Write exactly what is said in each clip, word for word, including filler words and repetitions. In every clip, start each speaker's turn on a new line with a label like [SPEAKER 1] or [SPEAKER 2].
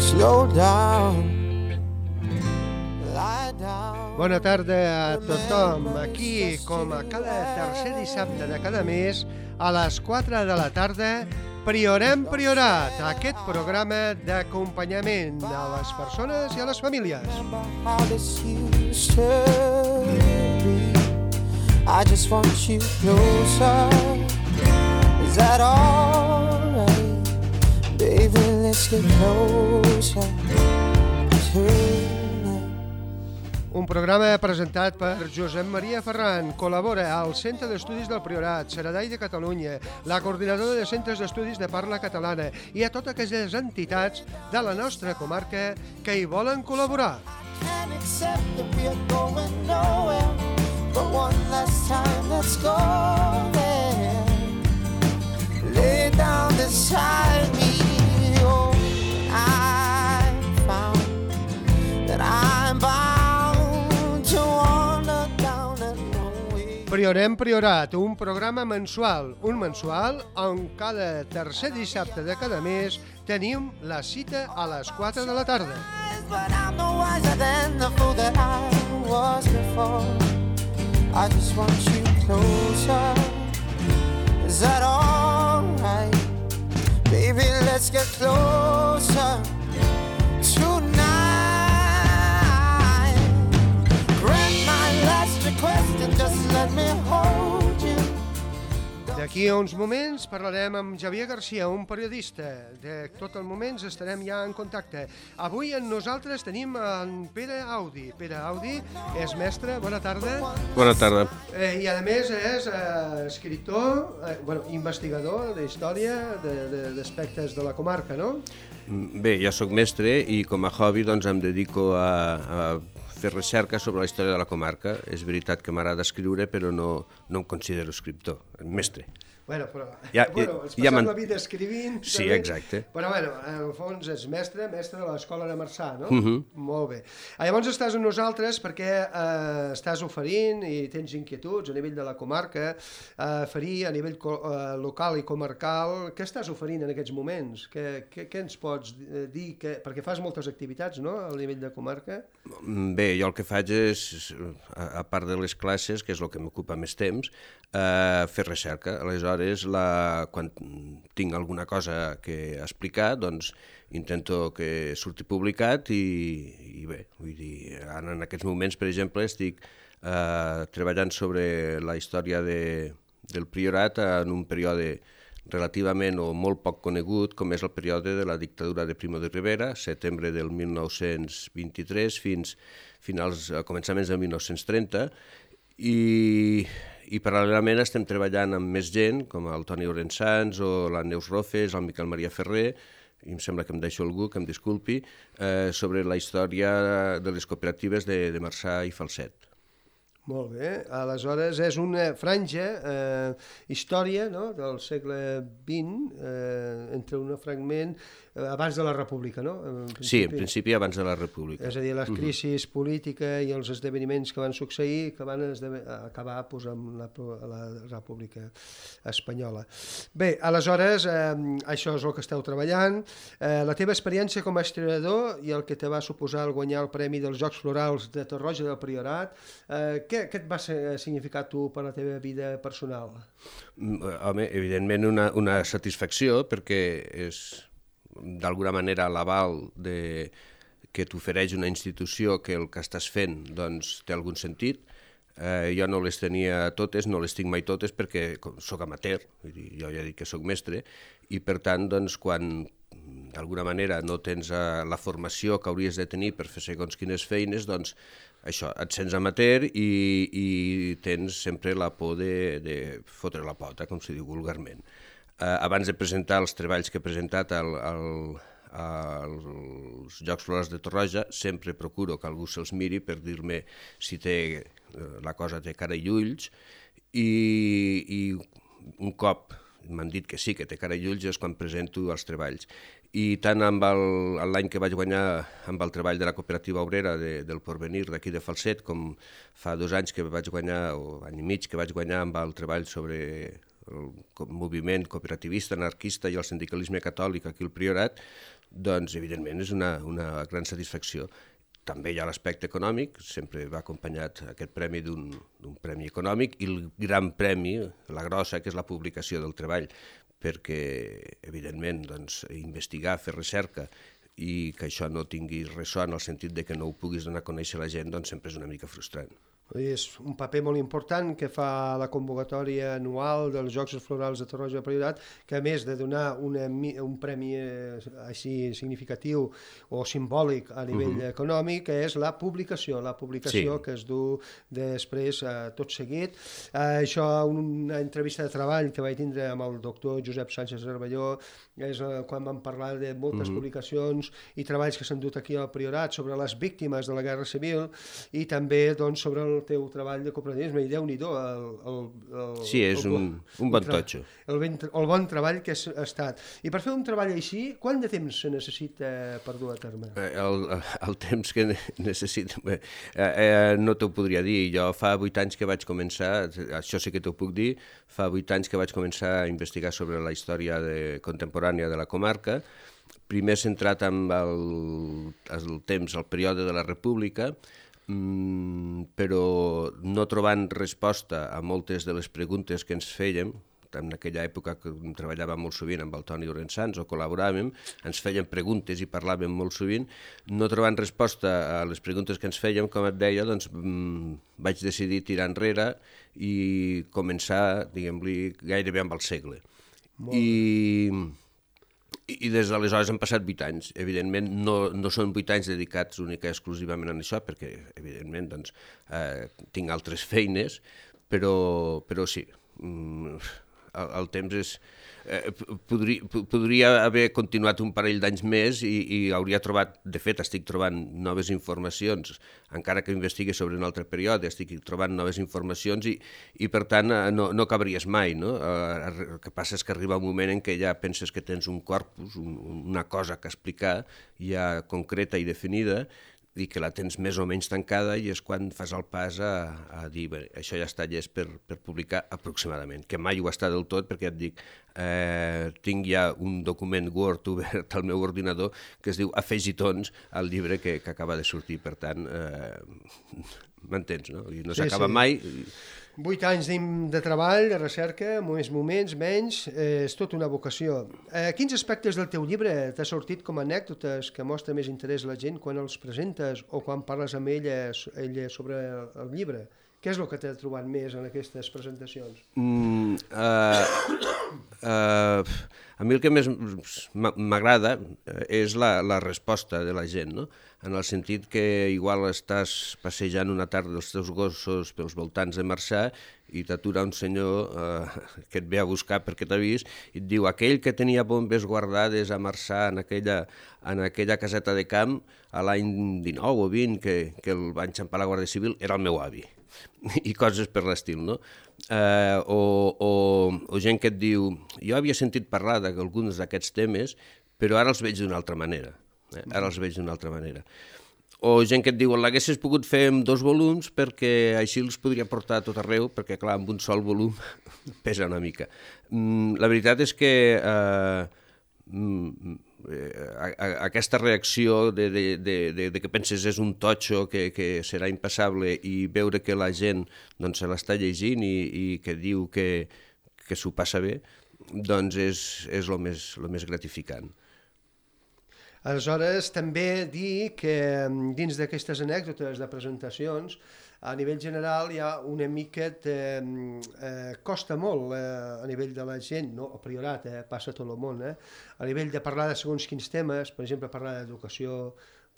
[SPEAKER 1] slow down, lie down.
[SPEAKER 2] Bona tarda a tothom. Aquí, com a cada tercer dissabte de cada mes, a les quatre de la tarda, Priorem Priorat, aquest programa d'acompanyament a les persones i a les famílies.
[SPEAKER 1] I just want you closer. Is that all right? Baby, let's get closer tonight.
[SPEAKER 2] Un programa presentat per Josep Maria Ferran. Col·labora al Centre d'Estudis del Priorat, Saradai de Catalunya, la Coordinadora de Centres d'Estudis de Parla Catalana i a totes aquelles entitats de la nostra comarca que hi volen col·laborar.
[SPEAKER 1] Can't accept that we're going nowhere, but one last time let's go there. Lay down beside me. Oh, I found that I'm bound to wander down a long way.
[SPEAKER 2] Priorem Priorat, un programa mensual, un mensual on cada tercer dissabte de cada mes tenim la cita a les quatre de la tarda.
[SPEAKER 1] But I'm no wiser than the fool that I was before. I just want you closer. Is that all right? Baby, let's get closer tonight. Grant my last request and just let me hold you.
[SPEAKER 2] D'aquí a uns moments parlarem amb Javier Garcia, un periodista. De tot el moment estarem ja en contacte. Avui amb nosaltres tenim en Pere Audi. Pere Audi és mestre, bona tarda.
[SPEAKER 3] Bona tarda.
[SPEAKER 2] Eh, I a més és eh, escriptor, eh, bueno, investigador d'història d'aspectes de, de la comarca, no?
[SPEAKER 3] Bé, jo sóc mestre i com a hobby doncs, em dedico a, a fer recerca sobre la història de la comarca. És veritat que m'agrada escriure, però no, no em considero escriptor, mestre.
[SPEAKER 2] Bueno, però
[SPEAKER 3] Ja-
[SPEAKER 2] bueno, ens
[SPEAKER 3] ja
[SPEAKER 2] passem
[SPEAKER 3] m'en-
[SPEAKER 2] la vida escrivint.
[SPEAKER 3] Sí,
[SPEAKER 2] també.
[SPEAKER 3] exacte.
[SPEAKER 2] Però bueno, en el fons és mestre, mestre de l'Escola de Marçà, no?
[SPEAKER 3] Mhm.
[SPEAKER 2] Molt bé. Ah, llavors estàs amb nosaltres perquè eh, estàs oferint i tens inquietuds a nivell de la comarca, eh, oferir a nivell co eh, local i comarcal. Què estàs oferint en aquests moments? Què, què, què ens pots eh, dir? Que, perquè fas moltes activitats, no?, a nivell de comarca.
[SPEAKER 3] Bé, jo el que faig és, a, a part de les classes, que és el que m'ocupa més temps, eh, fer recerca. Aleshores, la, quan tinc alguna cosa que explicar, doncs intento que surti publicat i, i bé, vull dir, ara en aquests moments, per exemple, estic eh, treballant sobre la història de, del Priorat en un període relativament o molt poc conegut, com és el període de la dictadura de Primo de Rivera, setembre del mil nou-cents vint-i-tres fins finals, a començaments del mil nou-cents trenta, i, i paral·lelament estem treballant amb més gent, com el Toni Orensans o la Neus Rofes, el Miquel Maria Ferrer, i em sembla que em deixo algú, que em disculpi, eh, sobre la història de les cooperatives de, de Marçà i Falset.
[SPEAKER 2] Molt bé, aleshores és una franja, eh, història, no?, del segle vint, eh, entre un fragment eh, abans de la República, no? En
[SPEAKER 3] Sí, en principi abans de la República.
[SPEAKER 2] És a dir, les crisis polítiques i els esdeveniments que van succeir que van acabar pues, amb la, la República Espanyola. Bé, aleshores, eh, això és el que esteu treballant. Eh, la teva experiència com a historiador i el que te va suposar el guanyar el Premi dels Jocs Florals de Torroja del Priorat, eh, què, què et va significar tu per la teva vida personal?
[SPEAKER 3] Home, evidentment una, una satisfacció, perquè és d'alguna manera l'aval de que t'ofereix una institució que el que estàs fent doncs, té algun sentit. Eh, jo no les tenia totes, no les tinc mai totes perquè sóc amateur, vull dir, jo ja dic que sóc mestre, i per tant, doncs, quan d'alguna manera no tens eh, la formació que hauries de tenir per fer segons quines feines, doncs això, et sents amateur i, i tens sempre la por de, de fotre la pota, com se diu vulgarment. Eh, abans de presentar els treballs que he presentat al, al, als Jocs Florals de Torroja, sempre procuro que algú se'ls miri per dir-me si té, la cosa té cara i ulls, i, i un cop m'han dit que sí, que té cara i ulls, és quan presento els treballs. I tant amb l'any que vaig guanyar amb el treball de la cooperativa obrera de, del Porvenir d'aquí de Falset, com fa dos anys que vaig guanyar, o any i mig que vaig guanyar amb el treball sobre el moviment cooperativista, anarquista i el sindicalisme catòlic aquí al Priorat, doncs evidentment és una, una gran satisfacció. També hi ha l'aspecte econòmic, sempre va acompanyat aquest premi d'un premi econòmic, i el gran premi, la grossa, que és la publicació del treball, perquè evidentment doncs, investigar, fer recerca, i que això no tingui ressò en el sentit de que no ho puguis donar a conèixer a la gent, doncs sempre és una mica frustrant.
[SPEAKER 2] És un paper molt important que fa la convocatòria anual dels Jocs Florals de Torroja del Priorat, que a més de donar una, un premi així significatiu o simbòlic a nivell uh -huh. econòmic, és la publicació, la publicació sí. que es du després eh, tot seguit. Eh, això, una entrevista de treball que vaig tindre amb el doctor Josep Sánchez Cervelló, és eh, quan vam parlar de moltes uh -huh. publicacions i treballs que s'han dut aquí al Priorat sobre les víctimes de la Guerra Civil i també doncs, sobre el el teu treball de cooperativisme, i Déu-n'hi-do el, el, el,
[SPEAKER 3] sí, és
[SPEAKER 2] el,
[SPEAKER 3] un, un bon totxo.
[SPEAKER 2] El, ben, el bon treball que ha estat. I per fer un treball així, quant de temps se necessita per dur a terme?
[SPEAKER 3] El, el temps que necessita... Eh, eh, no t'ho podria dir. Jo fa vuit anys que vaig començar, això sí que t'ho puc dir, fa vuit anys que vaig començar a investigar sobre la història de, contemporània de la comarca, primer centrat en el, el temps, el període de la República, Mm, però no trobant resposta a moltes de les preguntes que ens fèiem. En aquella època que treballàvem molt sovint amb el Toni Orensans o col·laboràvem, ens feien preguntes i parlàvem molt sovint, no trobant resposta a les preguntes que ens fèiem, com et deia, doncs mm, vaig decidir tirar enrere i començar, diguem-li, gairebé amb el segle. Molt I... Bé. I des d'aleshores han passat vuit anys. Evidentment, no, no són vuit anys dedicats única i exclusivament a això, perquè, evidentment, doncs, eh, tinc altres feines, però, però sí, el, el temps és... Eh, podria, podria haver continuat un parell d'anys més i, i hauria trobat, de fet, estic trobant noves informacions, encara que investigue sobre un altre període, estic trobant noves informacions i, i per tant, no, no acabaries mai, no? Eh, el que passa és que arriba un moment en què ja penses que tens un corpus, un, una cosa que explicar, ja concreta i definida, i que la tens més o menys tancada, i és quan fas el pas a, a dir, bé, això ja està llest per, per publicar aproximadament, que mai ho està del tot, perquè et dic, eh, tinc ja un document Word obert al meu ordinador que es diu Afegitons al llibre que, que acaba de sortir, per tant, eh, m'entens, no? I no s'acaba sí, sí. mai...
[SPEAKER 2] Vuit anys de treball, de recerca, més moments, menys, eh, és tota una vocació. Eh, quins aspectes del teu llibre t'ha sortit com a anècdotes que mostra més interès a la gent quan els presentes o quan parles amb ella, ella sobre el llibre? Què és el que t'ha trobat més en aquestes presentacions? Mm, uh,
[SPEAKER 3] uh, a mi el que més m'agrada és la, la resposta de la gent, no? En el sentit que igual estàs passejant una tarda els teus gossos pels voltants de Marçà i t'atura un senyor eh, que et ve a buscar perquè t'ha vist i et diu aquell que tenia bombes guardades a Marçà en aquella, en aquella caseta de camp a l'any dinou o vint que, que el va enxampar la Guàrdia Civil era el meu avi. I coses per l'estil, no? Eh, o, o, o gent que et diu jo havia sentit parlar d'alguns d'aquests temes però ara els veig d'una altra manera. Eh? Ara els veig d'una altra manera. O gent que et diu, l'haguessis pogut fer en dos volums perquè així els podria portar a tot arreu, perquè clar, amb un sol volum pesa una mica. Mm, la veritat és que eh, mm, a, a, aquesta reacció de, de, de, de, de que penses és un totxo que, que serà impassable i veure que la gent doncs, se l'està llegint i, i que diu que, que s'ho passa bé, doncs és, és el més, el més gratificant.
[SPEAKER 2] Aleshores, també dir que dins d'aquestes anècdotes de presentacions, a nivell general hi ha una mica de... Eh, costa molt eh, a nivell de la gent, no? A Priorat, eh, passa a tot el món, eh? A nivell de parlar de segons quins temes, per exemple, parlar d'educació,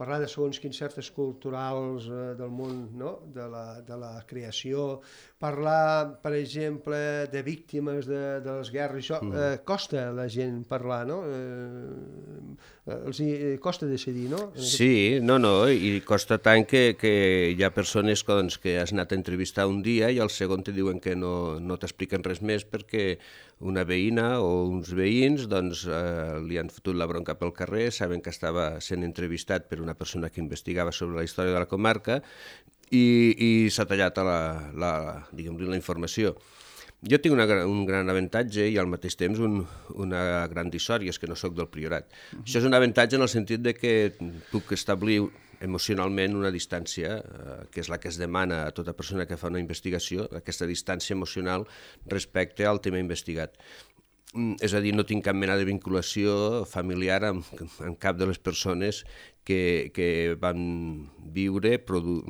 [SPEAKER 2] parlar de segons quins certes culturals eh, del món, no? de, la, de la creació, parlar, per exemple, de víctimes de, de les guerres, això mm. eh, costa a la gent parlar, no? Eh, els hi costa decidir, no?
[SPEAKER 3] Sí, no, no, i costa tant que, que hi ha persones doncs, que has anat a entrevistar un dia i al segon te diuen que no, no t'expliquen res més perquè una veïna o uns veïns doncs, eh, li han fotut la bronca pel carrer, saben que estava sent entrevistat per una persona que investigava sobre la història de la comarca i, i s'ha tallat la, la, diguem-li, la informació. Jo tinc una, un gran avantatge i al mateix temps un, una gran dissort, i és que no sóc del Priorat. Uh-huh. Això és un avantatge en el sentit de que puc establir emocionalment una distància, eh, que és la que es demana a tota persona que fa una investigació, aquesta distància emocional respecte al tema investigat. És a dir, no tinc cap mena de vinculació familiar amb, amb cap de les persones que, que van viure, produ,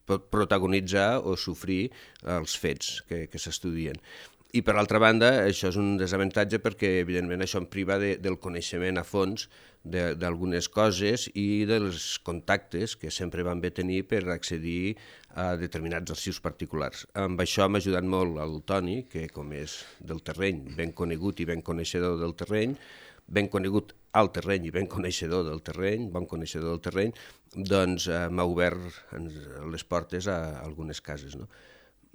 [SPEAKER 3] protagonitzar o sofrir els fets que, que s'estudien. I, per altra banda, això és un desavantatge perquè, evidentment, això em priva de, del coneixement a fons d'algunes coses i dels contactes que sempre van bé tenir per accedir a determinats arxius particulars. Amb això m'ha ajudat molt el Toni, que com és del terreny, ben conegut i ben coneixedor del terreny, ben conegut al terreny i ben coneixedor del terreny, bon coneixedor del terreny, doncs eh, m'ha obert les portes a algunes cases, no?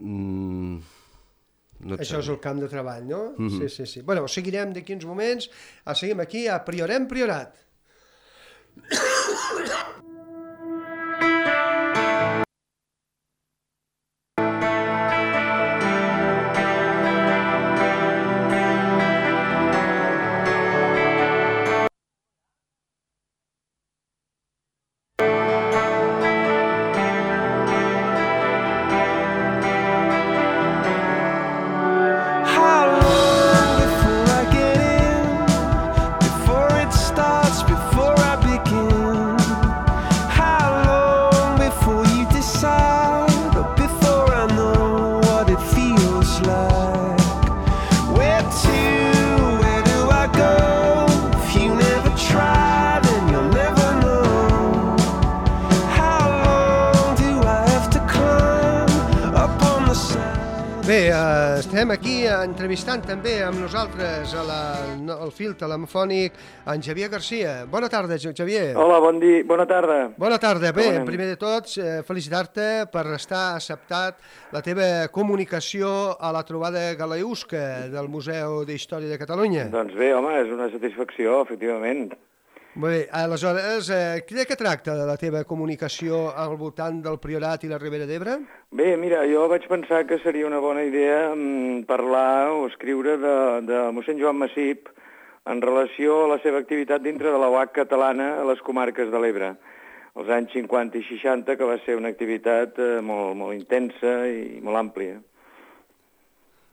[SPEAKER 3] Mm... No
[SPEAKER 2] Això és el camp de treball, no?
[SPEAKER 3] Mm-hmm.
[SPEAKER 2] Sí, sí, sí. Bueno, seguirem d'aquí uns moments. Seguim aquí a Priorem Priorat. Bé, eh, estem aquí entrevistant també amb nosaltres a la, no, al fil telefònic en Xavier Garcia. Bona tarda, Xavier.
[SPEAKER 4] Hola, bon dia, bona tarda.
[SPEAKER 2] Bona tarda. Bé, primer de tot, eh, felicitar-te per estar acceptat la teva comunicació a la trobada galeusca del Museu d'Història de Catalunya.
[SPEAKER 4] Doncs bé, home, és una satisfacció, efectivament.
[SPEAKER 2] Molt bé, aleshores, eh, de què tracta la teva comunicació al voltant del Priorat i la Ribera d'Ebre?
[SPEAKER 4] Bé, mira, jo vaig pensar que seria una bona idea mm, parlar o escriure de, de mossèn Joan Massip en relació a la seva activitat dintre de la U A C catalana a les comarques de l'Ebre, als anys cinquanta i seixanta, que va ser una activitat eh, molt, molt intensa i molt àmplia.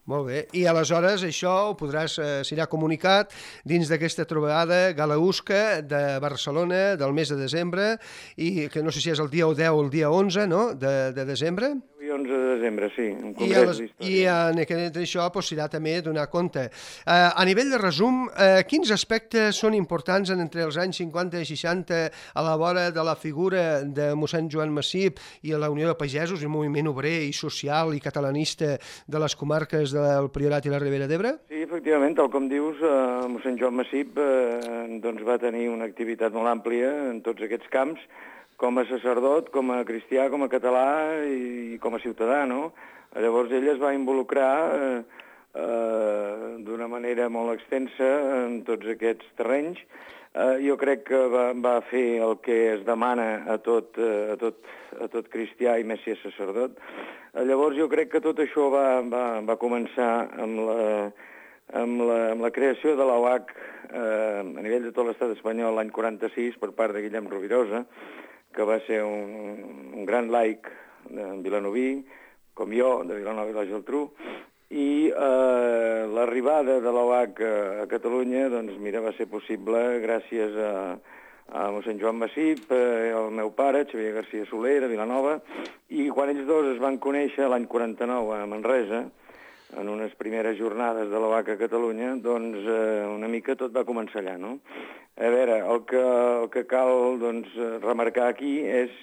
[SPEAKER 2] Molt bé, i aleshores això ho podràs, eh, serà comunicat dins d'aquesta trobada galeusca de Barcelona del mes de desembre, i que no sé si és el dia deu o el dia onze, no?, de, de desembre.
[SPEAKER 4] I onze de desembre, sí, un
[SPEAKER 2] I,
[SPEAKER 4] congrés
[SPEAKER 2] les,
[SPEAKER 4] d'història.
[SPEAKER 2] I en aquest, això pues, serà també donar compte. Eh, a nivell de resum, eh, quins aspectes són importants en, entre els anys cinquanta i seixanta a la vora de la figura de mossèn Joan Massip i a la Unió de Pagesos, el moviment obrer i social i catalanista de les comarques del Priorat i la Ribera d'Ebre?
[SPEAKER 4] Sí, efectivament, tal com dius, eh, mossèn Joan Massip eh, doncs va tenir una activitat molt àmplia en tots aquests camps, com a sacerdot, com a cristià, com a català i com a ciutadà, no? Llavors ell es va involucrar eh, eh, d'una manera molt extensa en tots aquests terrenys. Eh, jo crec que va, va fer el que es demana a tot, a tot, a tot cristià i més si és sacerdot. Eh, llavors jo crec que tot això va, va, va començar amb la, amb, la, amb la creació de la U A C eh, a nivell de tot l'estat espanyol l'any quaranta-sis per part de Guillem Rovirosa, que va ser un, un gran laic de vilanoví, com jo, de Vilanova i la Geltrú, i eh, l'arribada de l'O H a Catalunya, doncs mira, va ser possible gràcies a, a mossèn Joan Massip, eh, el meu pare, Xavier Garcia Soler, de Vilanova, i quan ells dos es van conèixer l'any quaranta-nou a Manresa, en unes primeres jornades de l'O H a Catalunya, doncs eh, una mica tot va començar allà, no? A veure, el que, el que cal doncs, remarcar aquí és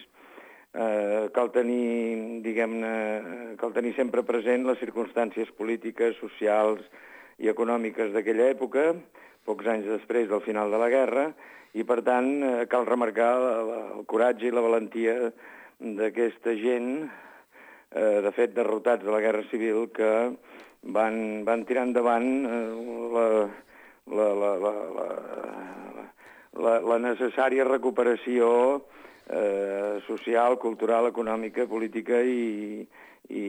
[SPEAKER 4] eh, cal tenir, diguem-ne, cal tenir sempre present les circumstàncies polítiques, socials i econòmiques d'aquella època, pocs anys després del final de la guerra, i per tant eh, cal remarcar la, la, el coratge i la valentia d'aquesta gent, eh, de fet derrotats de la Guerra Civil, que van, van tirar endavant eh, la, la, la, la, la, la, la necessària recuperació eh, social, cultural, econòmica, política i, i,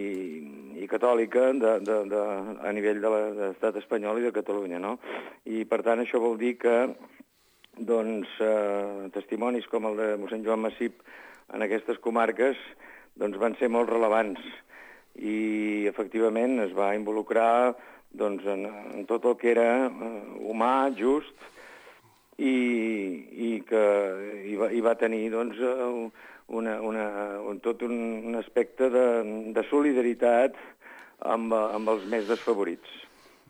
[SPEAKER 4] i catòlica de, de, de, a nivell de l'estat espanyol i de Catalunya, no? I, per tant, això vol dir que doncs, eh, testimonis com el de mossèn Joan Massip en aquestes comarques doncs, van ser molt relevants i, efectivament, es va involucrar doncs, en, en tot el que era uh, humà, just, i, i que hi va, hi va tenir doncs, una, una, un, tot un, un aspecte de, de solidaritat amb, amb els més desfavorits.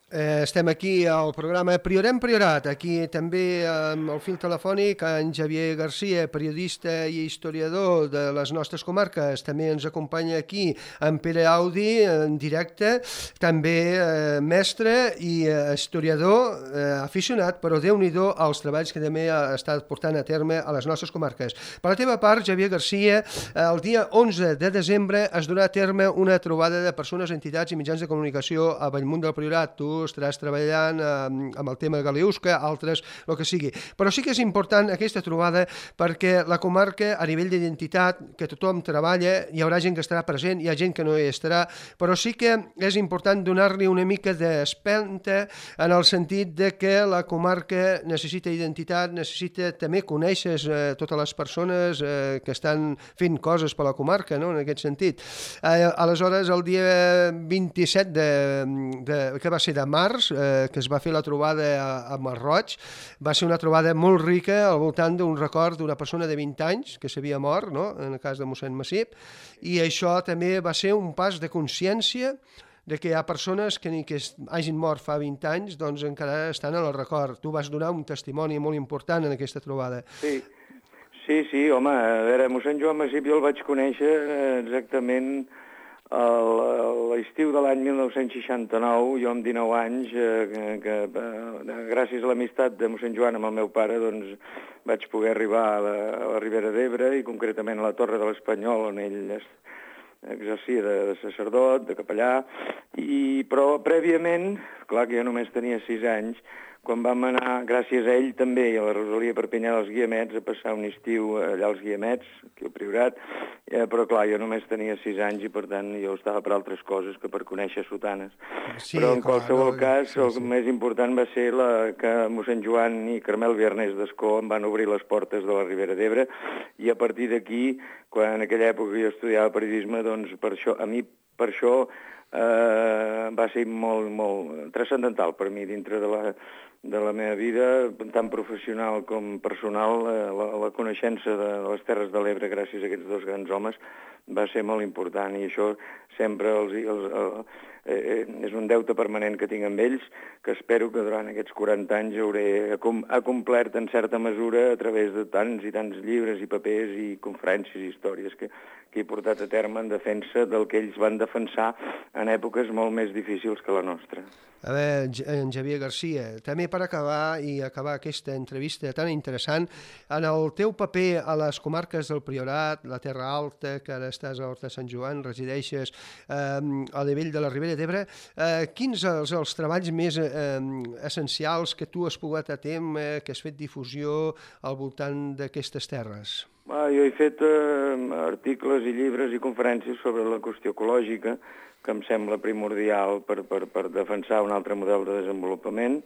[SPEAKER 2] Eh, estem aquí al programa Priorem Priorat, aquí també amb el fil telefònic en Xavier Garcia, periodista i historiador de les nostres comarques. També ens acompanya aquí en Pere Audi, en directe, també eh, mestre i eh, historiador eh, aficionat, però Déu-n'hi-do als treballs que també ha estat portant a terme a les nostres comarques. Per la teva part, Xavier Garcia, el dia onze de desembre es durà a terme una trobada de persones, entitats i mitjans de comunicació a Bellmunt del Priorat. Tu estaràs treballant eh, amb el tema galeusca, altres, el que sigui. Però sí que és important aquesta trobada perquè la comarca, a nivell d'identitat, que tothom treballa, hi haurà gent que estarà present, hi ha gent que no hi estarà, però sí que és important donar-li una mica d'espenta en el sentit de que la comarca necessita identitat, necessita també conèixer eh, totes les persones eh, que estan fent coses per la comarca, no?, en aquest sentit. Eh, aleshores, el dia vint-i-set de, de, que va ser de març, eh, que es va fer la trobada a, a Masroig, va ser una trobada molt rica al voltant d'un record d'una persona de vint anys que s'havia mort, no?, en el cas de mossèn Massip, i això també va ser un pas de consciència de que hi ha persones que ni que hagin mort fa vint anys, doncs encara estan en el record. Tu vas donar un testimoni molt important en aquesta trobada.
[SPEAKER 4] Sí, sí, sí, home, a veure, mossèn Joan Massip jo el vaig conèixer exactament a l'estiu de l'any mil nou-cents seixanta-nou, jo amb dinou anys, eh, que, que gràcies a l'amistat de mossèn Joan amb el meu pare, doncs vaig poder arribar a la, a la Ribera d'Ebre i concretament a la Torre de l'Espanyol, on ell es, exercia de, de sacerdot, de capellà, i, però prèviament, clar que jo només tenia sis anys, quan vam anar, gràcies a ell també, i a la Rosalia Perpinyà dels Guiamets, a passar un estiu allà als Guiamets, aquí al Priorat, eh, però clar, jo només tenia sis anys i per tant jo estava per altres coses que per conèixer sotanes. Sí, però en clar, qualsevol no, cas, sí, el sí. més important va ser la, que mossèn Joan i Carmel Viernès d'Escó em van obrir les portes de la Ribera d'Ebre i a partir d'aquí, quan en aquella època jo estudiava periodisme, doncs per això, a mi per això eh, va ser molt, molt transcendental per mi dintre de la de la meva vida, tant professional com personal, la, la coneixença de les Terres de l'Ebre gràcies a aquests dos grans homes va ser molt important i això sempre els, els, els, eh, és un deute permanent que tinc amb ells, que espero que durant aquests quaranta anys hauré acomplert en certa mesura a través de tants i tants llibres i papers i conferències i històries que, que he portat a terme en defensa del que ells van defensar en èpoques molt més difícils que la nostra.
[SPEAKER 2] A veure, en Xavier Garcia, també per acabar i acabar aquesta entrevista tan interessant, en el teu paper a les comarques del Priorat, la Terra Alta, que ara estàs a Horta de Sant Joan, resideixes eh, a nivell de la Ribera d'Ebre, eh, quins són els, els treballs més eh, essencials que tu has pogut a terme, que has fet difusió al voltant d'aquestes terres?
[SPEAKER 4] Ah, jo he fet eh, articles i llibres i conferències sobre la qüestió ecològica, que em sembla primordial per, per, per defensar un altre model de desenvolupament.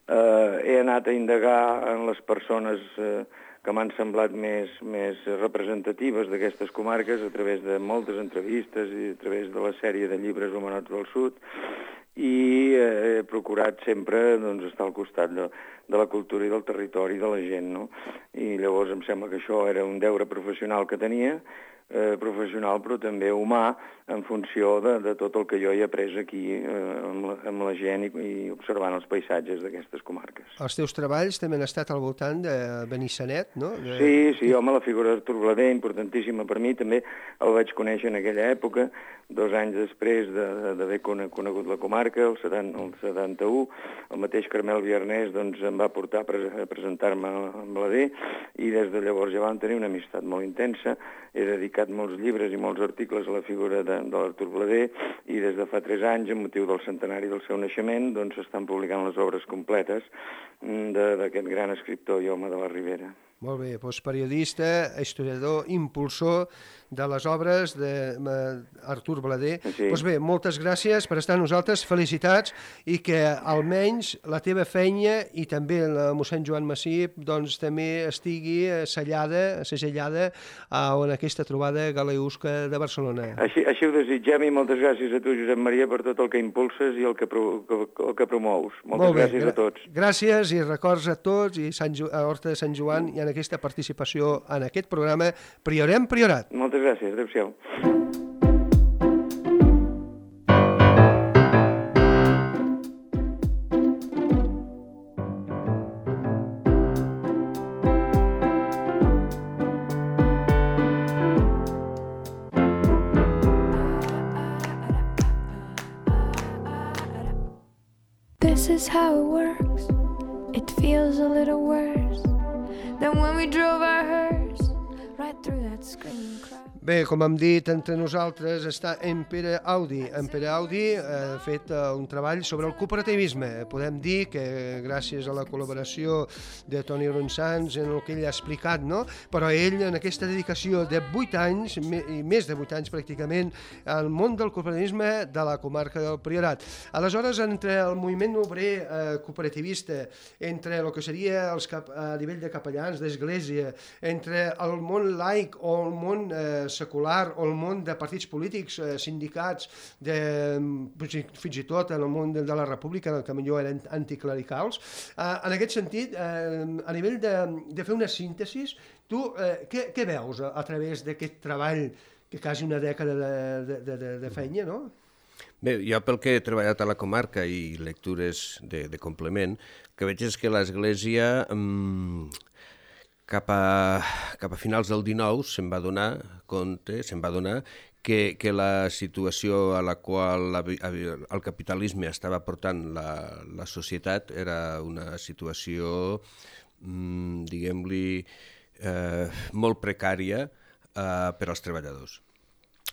[SPEAKER 4] Eh, he anat a indagar en les persones eh, que m'han semblat més, més representatives d'aquestes comarques a través de moltes entrevistes i a través de la sèrie de llibres Humanots del Sud i eh, he procurat sempre doncs, estar al costat de, de la cultura i del territori de la gent, no? I llavors em sembla que això era un deure professional que tenia, eh, professional però també humà, en funció de, de tot el que jo he après aquí eh, amb, la, amb la gent i, i observant els paisatges d'aquestes comarques.
[SPEAKER 2] Els teus treballs també han estat al voltant de Benissanet, no? De...
[SPEAKER 4] Sí, sí, home, la figura d'Artur Blader, importantíssima per mi, també el vaig conèixer en aquella època, dos anys després d'haver de, conegut la comarca, el, setanta, el setanta-u, el mateix Carmel Viernès doncs, em va portar a, pre a presentar-me a Blader i des de llavors ja vam tenir una amistat molt intensa, he dedicat molts llibres i molts articles a la figura de de l'Artur Blader i des de fa tres anys, amb motiu del centenari del seu naixement, doncs s'estan publicant les obres completes d'aquest gran escriptor i home de la Ribera.
[SPEAKER 2] Molt bé, doncs periodista, historiador, impulsor de les obres d'Artur Blader.
[SPEAKER 4] Sí.
[SPEAKER 2] Doncs bé, moltes gràcies per estar amb nosaltres, felicitats, i que almenys la teva feina i també la mossèn Joan Massip doncs també estigui sellada, segellada en aquesta trobada galeusca de Barcelona.
[SPEAKER 4] Així, així ho desitgem i moltes gràcies a tu, Josep Maria, per tot el que impulses i el que, pro, el que promous. Moltes
[SPEAKER 2] Molt bé,
[SPEAKER 4] gràcies a tots.
[SPEAKER 2] Gràcies i records a tots i Sant Jo- a Horta de Sant Joan i en aquesta participació en aquest programa Priorem Priorat.
[SPEAKER 4] Moltes gràcies, adéu-siau.
[SPEAKER 5] This is how it works. It feels a little worse than when we drove our hearse right through that screaming crowd.
[SPEAKER 2] Bé, com hem dit, entre nosaltres està en Pere Audi. En Pere Audi ha fet un treball sobre el cooperativisme. Podem dir que gràcies a la col·laboració de Toni Ronsans en el que ell ha explicat, no? Però ell, en aquesta dedicació de vuit anys, i més de vuit anys pràcticament, al món del cooperativisme de la comarca del Priorat. Aleshores, entre el moviment obrer eh, cooperativista, entre el que seria els cap, a nivell de capellans, d'església, entre el món laic o el món eh, secular o el món de partits polítics, eh, sindicats, de, fins i tot en el món de, de la república, que millor eren anticlericals. Eh, en aquest sentit, eh, a nivell de, de fer una síntesi, tu eh, què, què veus a, a través d'aquest treball que quasi una dècada de, de, de, de feina, no?
[SPEAKER 3] Bé, jo pel que he treballat a la comarca i lectures de, de complement, que veig és que l'Església mmm, cap a, cap a finals del dinou se'n va donar compte, se'n va donar que, que la situació a la qual la, el capitalisme estava portant la, la societat era una situació, mmm, diguem-li, eh, molt precària eh, per als treballadors.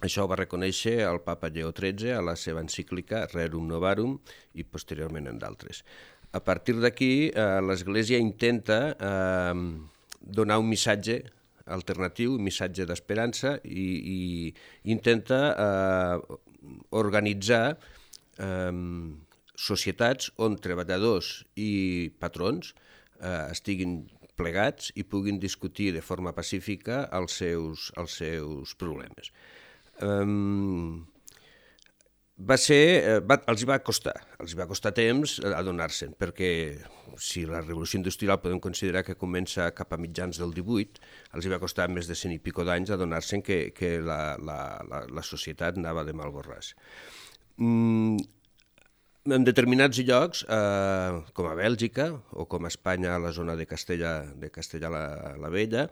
[SPEAKER 3] Això ho va reconèixer el papa Lleó tretze a la seva encíclica Rerum Novarum i posteriorment en d'altres. A partir d'aquí, eh, l'Església intenta eh, donar un missatge alternatiu, un missatge d'esperança i, i intenta eh, organitzar eh, societats on treballadors i patrons eh, estiguin plegats i puguin discutir de forma pacífica els seus, els seus problemes. Um, va ser, va, els va costar, els va costar temps adonar-se'n, perquè si la revolució industrial podem considerar que comença cap a mitjans del divuit, els va costar més de cent i pico d'anys adonar-se'n que, que la, la, la, la societat anava de mal borràs. Mm, en determinats llocs, eh, com a Bèlgica o com a Espanya, a la zona de Castella, de Castella la, la Vella,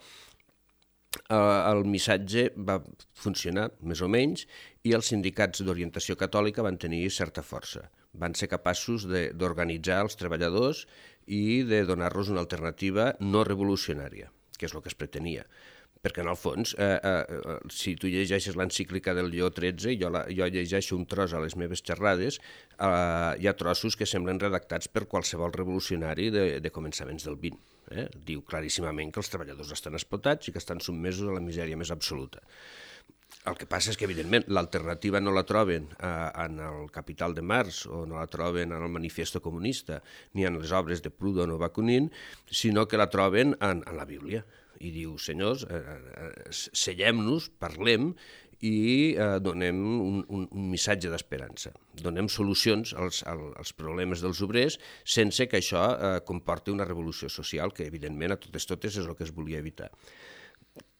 [SPEAKER 3] el missatge va funcionar més o menys i els sindicats d'orientació catòlica van tenir certa força. Van ser capaços d'organitzar els treballadors i de donar-los una alternativa no revolucionària, que és el que es pretenia. Perquè, en el fons, eh, eh, si tu llegeixes l'encíclica del Lleó tretze, jo, la, jo llegeixo un tros a les meves xerrades, eh, hi ha trossos que semblen redactats per qualsevol revolucionari de, de començaments del vint. Eh? Diu claríssimament que els treballadors estan explotats i que estan sotmesos a la misèria més absoluta. El que passa és que, evidentment, l'alternativa no la troben eh, en el Capital de Marx o no la troben en el Manifiesto Comunista ni en les obres de Proudhon o Bakunin, sinó que la troben en, en la Bíblia. I diu, senyors, eh, sellem-nos, parlem i eh, donem un, un, un missatge d'esperança. Donem solucions als, als problemes dels obrers sense que això eh, comporti una revolució social, que evidentment a totes totes és el que es volia evitar.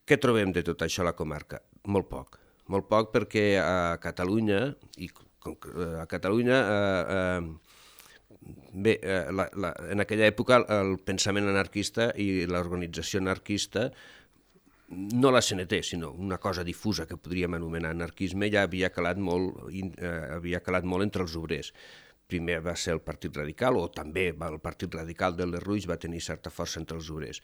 [SPEAKER 3] Què trobem de tot això a la comarca? Molt poc. Molt poc perquè a Catalunya, i a Catalunya eh, eh, bé, eh, la, la, en aquella època el pensament anarquista i l'organització anarquista, no la C N T, sinó una cosa difusa que podríem anomenar anarquisme, ja havia calat molt, eh, havia calat molt entre els obrers. Primer va ser el Partit Radical, o també el Partit Radical del Lerrouix va tenir certa força entre els obrers.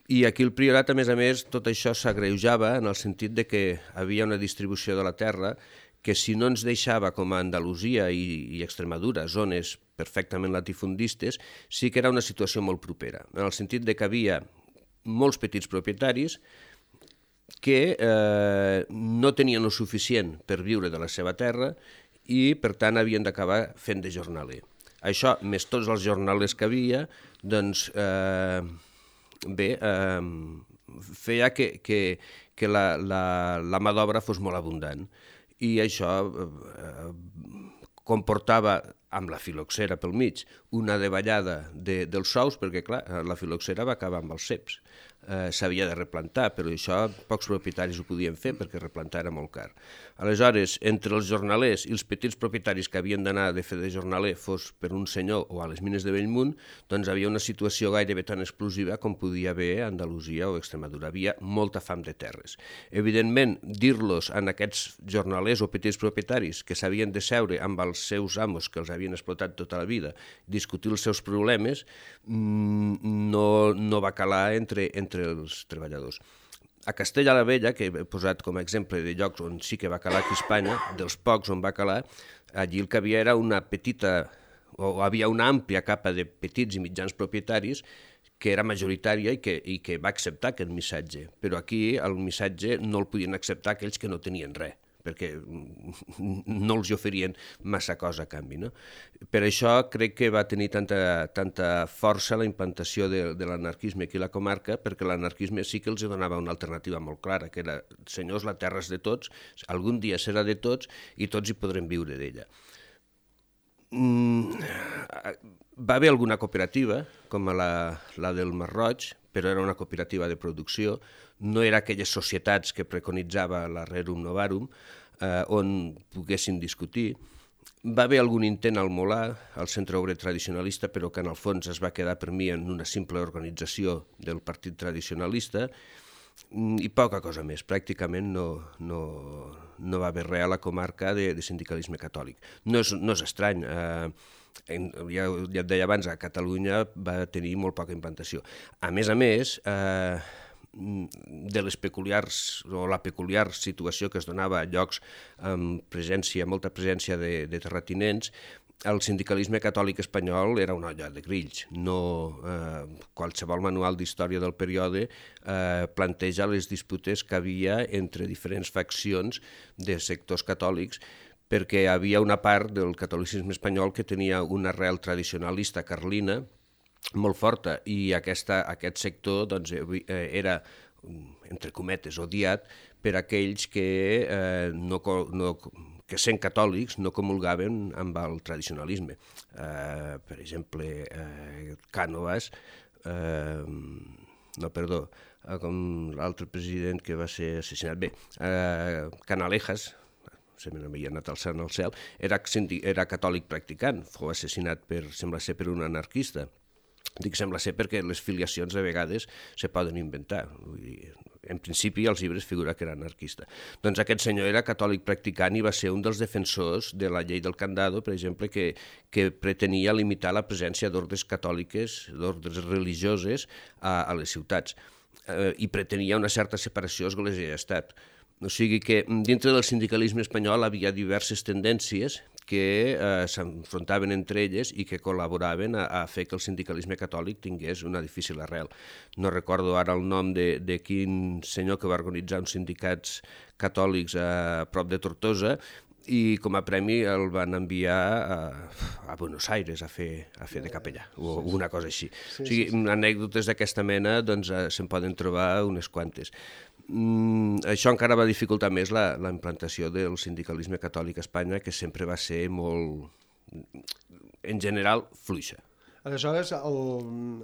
[SPEAKER 3] I aquí al Priorat, a més a més, tot això s'agreujava en el sentit de que havia una distribució de la terra que si no ens deixava, com a Andalusia i, i Extremadura, zones perfectament latifundistes, sí que era una situació molt propera, en el sentit de que havia molts petits propietaris que eh, no tenien el suficient per viure de la seva terra i, per tant, havien d'acabar fent de jornaler. Això, més tots els jornalers que havia, doncs, eh, bé, eh, feia que, que, que la, la, la mà d'obra fos molt abundant. I això eh, comportava, amb la filoxera pel mig, una davallada de, dels sous, perquè, clar, la filoxera va acabar amb els ceps. Eh, s'havia de replantar, però això pocs propietaris ho podien fer perquè replantar era molt car. Aleshores, entre els jornalers i els petits propietaris que havien d'anar de fer de jornaler, fos per un senyor o a les mines de Bellmunt, doncs havia una situació gairebé tan explosiva com podia haver a Andalusia o Extremadura. Havia molta fam de terres. Evidentment, dir-los a aquests jornalers o petits propietaris que s'havien de seure amb els seus amos que els havien explotat tota la vida, discutir els seus problemes, no, no va calar entre, entre els treballadors. A Castella la Vella, que he posat com a exemple de llocs on sí que va calar aquí a Espanya, dels pocs on va calar, allí el que havia era una petita, o havia una àmplia capa de petits i mitjans propietaris que era majoritària i que, i que va acceptar aquest missatge. Però aquí el missatge no el podien acceptar aquells que no tenien res, perquè no els oferien massa cosa a canvi. No? Per això crec que va tenir tanta, tanta força la implantació de, de l'anarquisme aquí a la comarca, perquè l'anarquisme sí que els donava una alternativa molt clara, que era, senyors, la terra és de tots, algun dia serà de tots i tots hi podrem viure d'ella. Mm, va haver alguna cooperativa, com la, la del Masroig, però era una cooperativa de producció, no era aquelles societats que preconitzava la Rerum Novarum, eh, on poguessin discutir. Va haver algun intent al Molar, al Centre Obrer Tradicionalista, però que en el fons es va quedar per mi en una simple organització del Partit Tradicionalista, i poca cosa més. Pràcticament no, no, no va haver res a la comarca de, de sindicalisme catòlic. No és, no és estrany, eh, en, ja, ja et deia abans, a Catalunya va tenir molt poca implantació. A més a més, eh, de les peculiars, o la peculiar situació que es donava a llocs amb presència, molta presència de, de terratinents, el sindicalisme catòlic espanyol era una olla de grills. No, eh, qualsevol manual d'història del període eh, planteja les disputes que havia entre diferents faccions de sectors catòlics, perquè hi havia una part del catolicisme espanyol que tenia una arrel tradicionalista carlina molt forta, i aquesta, aquest sector doncs, era, entre cometes, odiat per aquells que, eh, no, no, que sent catòlics no comulgaven amb el tradicionalisme. Eh, per exemple, eh, Cànovas, eh, no, perdó, eh, com l'altre president que va ser assassinat, bé, eh, Canalejas, se me n'havia anat alçant al cel, era, era catòlic practicant, fou assassinat per, sembla ser, per un anarquista. Dic sembla ser perquè les filiacions de vegades se poden inventar. Vull dir, en principi als llibres figura que era anarquista. Doncs aquest senyor era catòlic practicant i va ser un dels defensors de la llei del Candado, per exemple, que, que pretenia limitar la presència d'ordres catòliques, d'ordres religioses a, a les ciutats, eh, i pretenia una certa separació església i estat. O sigui que dintre del sindicalisme espanyol havia diverses tendències que eh, s'enfrontaven entre elles i que col·laboraven a, a fer que el sindicalisme catòlic tingués una difícil arrel. No recordo ara el nom de, de quin senyor que va organitzar uns sindicats catòlics a prop de Tortosa, i com a premi el van enviar a, a Buenos Aires a fer, a fer de capellà, o una cosa així. Sí, o sigui, sí, sí. Anècdotes d'aquesta mena doncs, se'n poden trobar unes quantes. Mm, això encara va dificultar més la, la implantació del sindicalisme catòlic a Espanya, que sempre va ser molt, en general, fluixa.
[SPEAKER 2] Aleshores, el,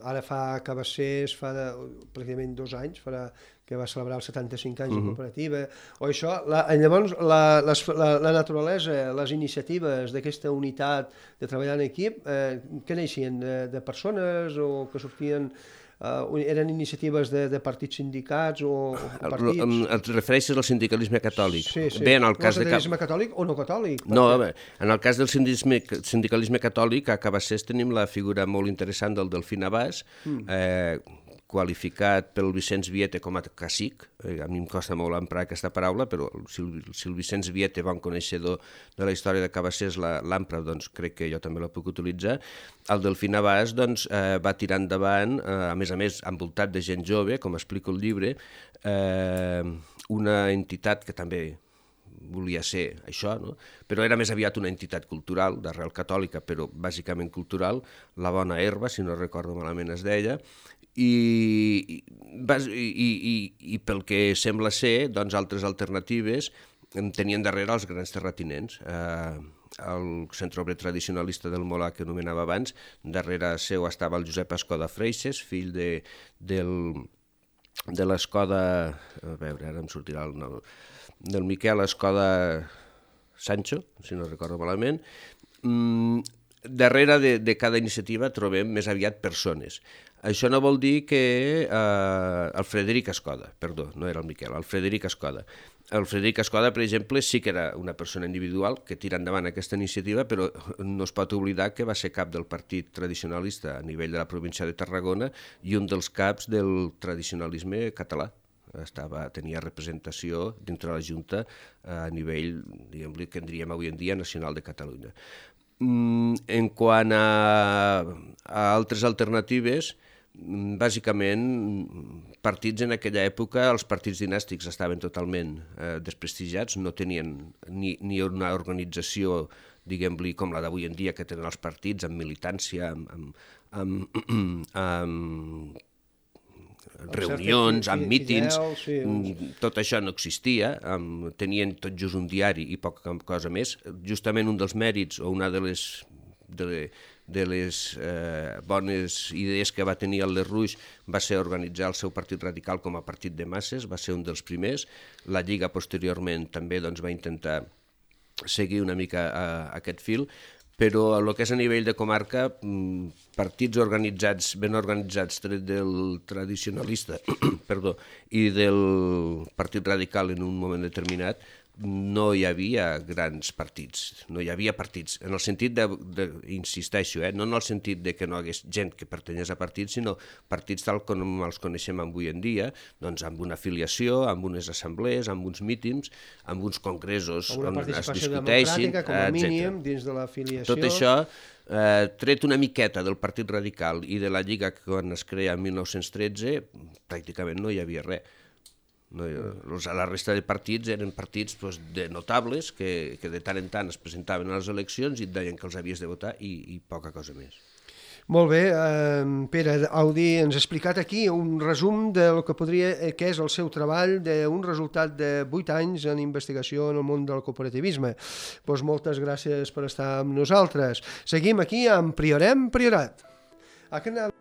[SPEAKER 2] ara fa que va ser, fa de, pràcticament dos anys, farà que va celebrar els setanta-cinc anys de cooperativa, o això, la, llavors la, les, la, la naturalesa, les iniciatives d'aquesta unitat de treballar en equip, eh, què neixien? De, de persones o que sortien... Uh, eren iniciatives de, de partits sindicats o, o partits...
[SPEAKER 3] Et refereixes al sindicalisme catòlic?
[SPEAKER 2] Sí, sí.
[SPEAKER 3] Bé, en el cas
[SPEAKER 2] de...
[SPEAKER 3] sindicalisme
[SPEAKER 2] catòlic o no catòlic?
[SPEAKER 3] No, bé, en el cas del sindicalisme catòlic, a Cabassers tenim la figura molt interessant del Delfí Navàs, mm. eh, qualificat pel Vicenç Viete com a cacic. A mi em costa molt emprar aquesta paraula, però si el, si el Vicenç Viete, bon coneixedor de la història de Cabassers, l'empra, doncs crec que jo també la puc utilitzar. El Delfí Navàs doncs, eh, va tirar endavant, eh, a més a més, envoltat de gent jove, com explico el llibre, eh, una entitat que també volia ser això, no? Però era més aviat una entitat cultural, d'arrel catòlica, però bàsicament cultural, La Bona Herba, si no recordo malament es deia, i, i, i, i pel que sembla ser, doncs altres alternatives tenien darrere els grans terratinents. Eh, el centre obrer tradicionalista del Molà, que anomenava abans, darrere seu estava el Josep Escoda Freixes, fill de, del, de l'Escoda, a veure, ara em sortirà el nom, del Miquel Escoda Sancho, si no recordo malament. Mm, darrere de, de cada iniciativa trobem més aviat persones. Això no vol dir que eh, el Frederic Escoda, perdó, no era el Miquel, el Frederic Escoda. El Frederic Escoda, per exemple, sí que era una persona individual que tira endavant aquesta iniciativa, però no es pot oblidar que va ser cap del partit tradicionalista a nivell de la província de Tarragona i un dels caps del tradicionalisme català. Estava, tenia representació dintre de la Junta a nivell, diguem-li, que en diríem avui en dia, nacional de Catalunya. En quant a, a altres alternatives, bàsicament, partits en aquella època, els partits dinàstics estaven totalment eh, desprestigiats, no tenien ni, ni una organització, diguem-li, com la d'avui en dia, que tenen els partits, amb militància, amb, amb, amb, amb reunions, amb mítings, sí. Tot això no existia, tenien tot just un diari i poca cosa més. Justament un dels mèrits o una de les, de, de les eh, bones idees que va tenir el Lerrouix va ser organitzar el seu partit radical com a partit de masses, va ser un dels primers. La Lliga posteriorment també doncs, va intentar seguir una mica eh, aquest fil, però el que és a nivell de comarca, partits organitzats, ben organitzats, tret del tradicionalista perdó, i del partit radical en un moment determinat, no hi havia grans partits, no hi havia partits, en el sentit de, de insisteixo, eh, no en el sentit de que no hi hagués gent que pertanyés a partits, sinó partits tal com els coneixem avui en dia, doncs amb una afiliació, amb unes assemblees, amb uns mítings, amb uns congressos on es discuteixin,
[SPEAKER 2] com a mínim, dins de l'afiliació.
[SPEAKER 3] Tot això, eh, tret una miqueta del Partit Radical i de la Lliga que quan es crea en mil nou-cents tretze, pràcticament no hi havia res. No, la resta de partits eren partits doncs, de notables que, que de tant en tant es presentaven a les eleccions i et deien que els havies de votar i, i poca cosa més.
[SPEAKER 2] Molt bé, eh, Pere Audi ens ha explicat aquí un resum del que podria que és el seu treball d'un resultat de vuit anys en investigació en el món del cooperativisme. Pues moltes gràcies per estar amb nosaltres. Seguim aquí amb Priorem Priorat. A canal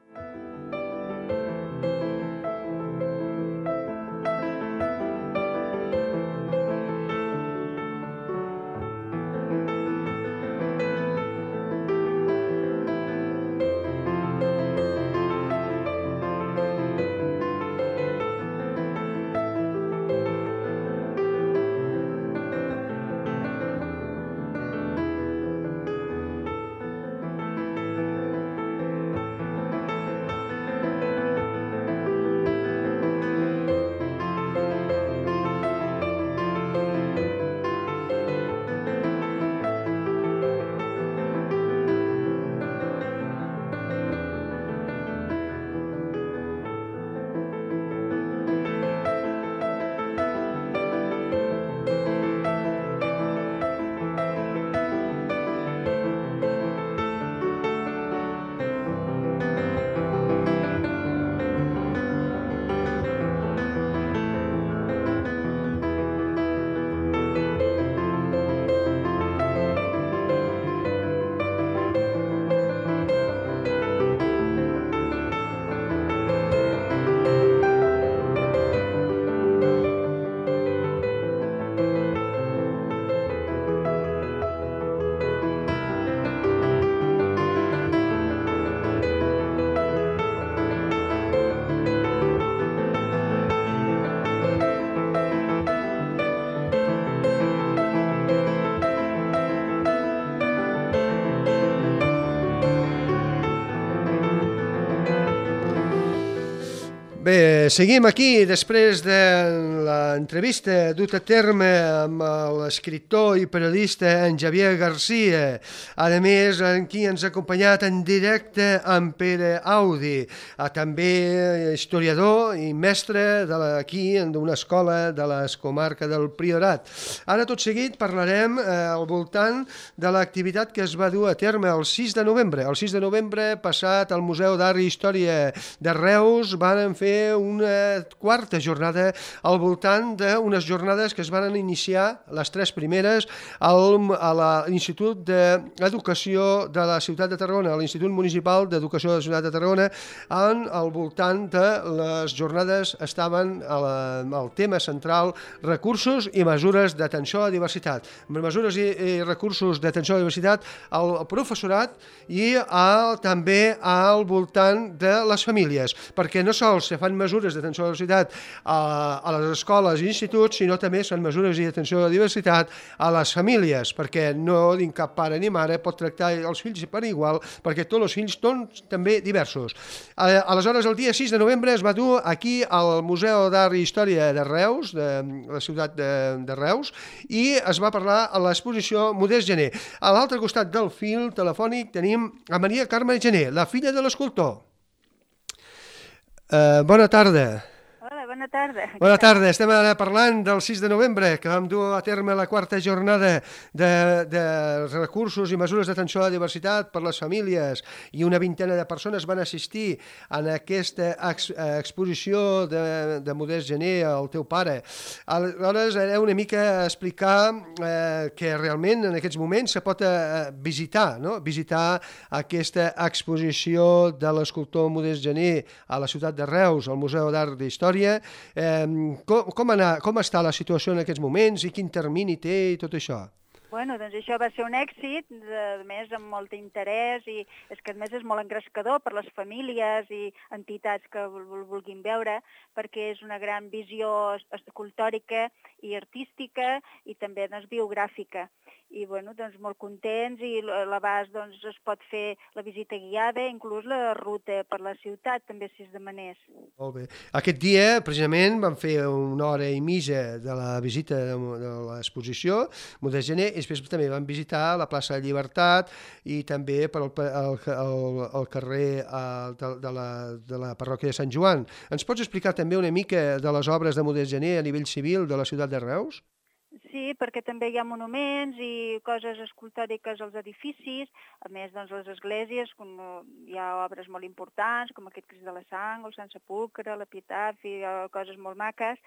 [SPEAKER 2] Bé, seguim aquí després de l'entrevista dut a terme amb l'escriptor i periodista en Javier Garcia. A més, aquí ens ha acompanyat en directe en Pere Audi, també historiador i mestre aquí d'una escola de la comarca del Priorat. Ara, tot seguit, parlarem al voltant de l'activitat que es va dur a terme el sis de novembre. El sis de novembre passat al Museu d'Art i Història de Reus van fer una quarta jornada al voltant d'unes jornades que es van iniciar, les tres primeres, al, a l'Institut d'Educació de la Ciutat de Tarragona, a l'Institut Municipal d'Educació de la Ciutat de Tarragona, on al voltant de les jornades estaven el tema central recursos i mesures d'atenció a la diversitat. Mesures i, i recursos d'atenció a la diversitat al professorat i al, també al voltant de les famílies, perquè no sols se fan mesures d'atenció a la diversitat a, a les escoles i instituts, sinó també són mesures d'atenció a la diversitat a les famílies, perquè no din cap pare ni mare pot tractar els fills per igual, perquè tots els fills són també diversos. Aleshores, el dia sis de novembre es va dur aquí al Museu d'Art i Història de Reus, de la ciutat de, de Reus, i es va parlar a l'exposició Modest Gené. A l'altre costat del fil telefònic tenim a Maria Carme Gené, la filla de l'escultor. Uh, bona tarda.
[SPEAKER 6] Hola, bona tarda.
[SPEAKER 2] Bona tarda. Estem ara parlant del sis de novembre, que vam dur a terme la quarta jornada de, de recursos i mesures d'atenció a la diversitat per les famílies, i una vintena de persones van assistir a aquesta ex, exposició de, de Modest Gené, el teu pare. Aleshores, era una mica explicar eh, que realment en aquests moments se pot eh, visitar, no? visitar aquesta exposició de l'escultor Modest Gené a la ciutat de Reus, al Museu d'Art i Història. Eh, com, com, anar, com està la situació en aquests moments i quin termini té i tot això?
[SPEAKER 6] Bueno, doncs això va ser un èxit, a més amb molt interès, i és que a més és molt engrescador per les famílies i entitats que el vulguin veure, perquè és una gran visió escultòrica i artística i també doncs, biogràfica. I bueno, doncs molt contents, i l'abast doncs, es pot fer la visita guiada, inclús la ruta per la ciutat, també si es demanés.
[SPEAKER 2] Molt bé. Aquest dia, precisament, vam fer una hora i mitja de la visita de, de l'exposició Modest Gené, i després també vam visitar la plaça de Llibertat i també per el, el, el, el carrer de, de, la, de la parròquia de Sant Joan. Ens pots explicar també una mica de les obres de Modest Gené a nivell civil de la ciutat de Reus?
[SPEAKER 6] Sí, perquè també hi ha monuments i coses escultòriques als edificis, a més, doncs, les esglésies, com hi ha obres molt importants, com aquest Crist de la Sang, el Sant Sepulcre, la Pietat, hi ha coses molt maques,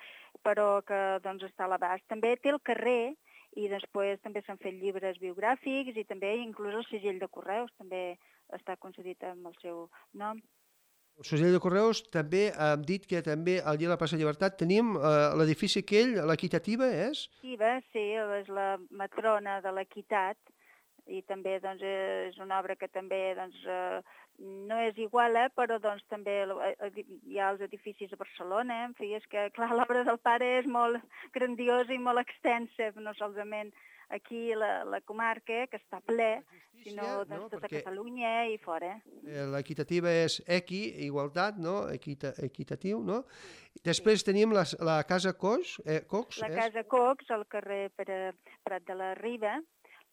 [SPEAKER 6] però que doncs, està a l'abast. També té el carrer, i després també s'han fet llibres biogràfics i també inclús el segell de correus també està concedit amb el seu nom.
[SPEAKER 2] El segell de correus també hem dit que també al dia de la plaça de Llibertat tenim eh, l'edifici aquell, l'Equitativa, és?
[SPEAKER 6] Equitativa, sí, és la matrona de l'equitat i també doncs, és una obra que també doncs, eh, no és igual, eh, però doncs, també hi ha els edificis a Barcelona, en fi, és que clar, l'obra del pare és molt grandiosa i molt extensa, no solament aquí la, la comarca, que està ple, sinó doncs, no? Tota Perquè Catalunya i fora.
[SPEAKER 2] L'equitativa és equi, igualtat, no? Equita, equitatiu, no? Després tenim la, la Casa Cox. Eh, Cox
[SPEAKER 6] la
[SPEAKER 2] és?
[SPEAKER 6] Casa Cox, al carrer Prat de la Riba,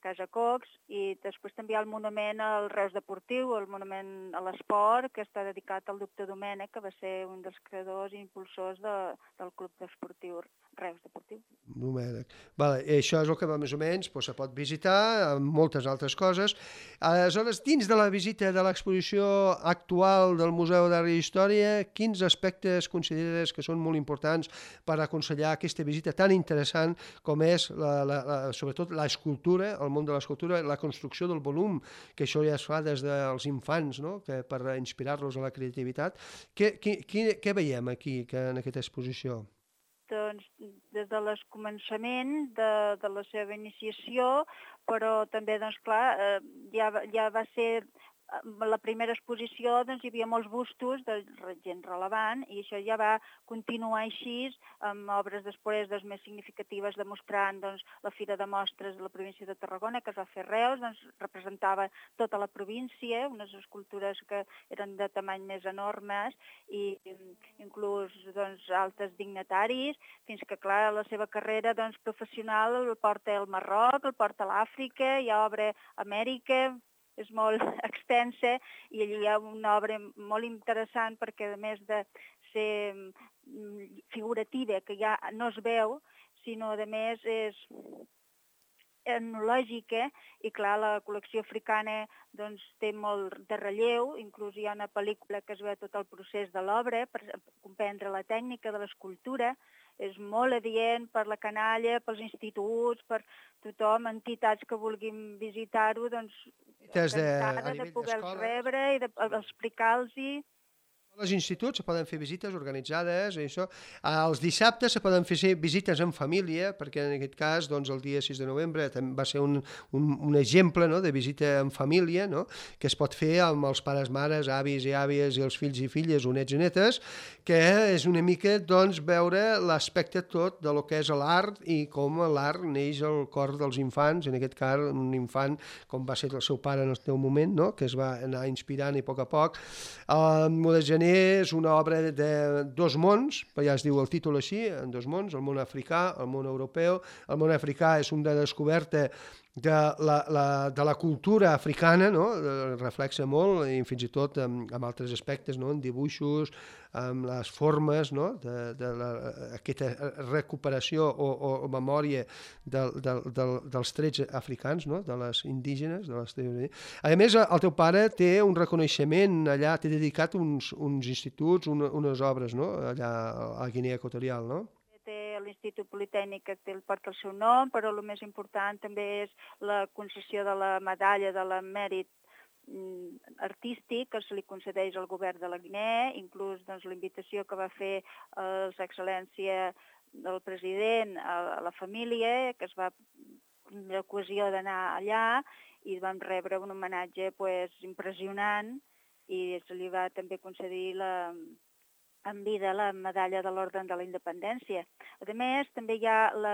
[SPEAKER 6] Casa Cox, i després també hi ha el monument al Reus Deportiu, el monument a l'esport, que està dedicat al doctor Domènech, que va ser un dels creadors i impulsors de, del Club Esportiu Reus Deportiu.
[SPEAKER 2] Domènech. Vale, això és el que va més o menys doncs, se pot visitar, amb moltes altres coses. Aleshores, dins de la visita de l'exposició actual del Museu d'Art i Història, quins aspectes consideres que són molt importants per aconsellar aquesta visita tan interessant com és, la, la, la, sobretot, l'escultura, el món de l'escultura, la construcció del volum, que això ja es fa des dels infants, no? Que per inspirar-los a la creativitat. Què, què, què veiem aquí que en aquesta exposició?
[SPEAKER 6] Doncs des del començament de, de la seva iniciació, però també, doncs clar, eh, ja, ja va ser la primera exposició doncs, hi havia molts bustos de gent relevant i això ja va continuar així amb obres després doncs, més significatives demostrant doncs, la Fira de Mostres de la província de Tarragona, que es va fer a Reus, doncs, representava tota la província, unes escultures que eren de tamany més enormes i inclús doncs, altres dignataris, fins que, clar, la seva carrera doncs, professional el porta al Marroc, el porta a l'Àfrica, hi ha obra a Amèrica, és molt extensa i allí hi ha una obra molt interessant perquè a més de ser figurativa, que ja no es veu, sinó a més és etnològica i clar, la col·lecció africana doncs, té molt de relleu, inclús hi ha una pel·lícula que es veu tot el procés de l'obra per comprendre la tècnica de l'escultura, és molt adient per la canalla, pels instituts, per tothom, entitats que vulguin visitar-ho, doncs encantada de, de poder-los rebre i d'explicar-los-hi.
[SPEAKER 2] Els instituts se poden fer visites organitzades, i això. Els dissabtes se poden fer visites en família, perquè en aquest cas doncs, el dia sis de novembre va ser un, un, un exemple no, de visita en família, no, que es pot fer amb els pares, mares, avis i àvies i els fills i filles o nets i netes, que és una mica doncs, veure l'aspecte tot de lo que és l'art i com l'art neix al cor dels infants, en aquest cas un infant com va ser el seu pare en el seu moment, no, que es va anar inspirant i a poc a poc. El Modest Gener és una obra de dos mons, ja es diu el títol així, en dos mons, el món africà, el món europeu. El món africà és una descoberta de la, la, de la cultura africana, no? Reflexa molt, i fins i tot amb, amb altres aspectes, no? En dibuixos, amb les formes, no? de, de la, aquesta recuperació o, o memòria de, de, de, dels trets africans, no? De les indígenes. De les... A més, el teu pare té un reconeixement allà, té dedicat uns, uns instituts, una, unes obres, no? Allà a Guinea Equatorial, no?
[SPEAKER 6] Té l'Institut Politècnic que té, porta el seu nom, però el més important també és la concessió de la medalla de la mèrit artístic que se li concedeix al govern de la Guinea, inclús doncs, la invitació que va fer a l'excel·lència del president a la família, que es va l'ocasió d'anar allà i vam rebre un homenatge pues, impressionant i se li va també concedir la en vida la medalla de l'Orde de la Independència. A més, també hi ha la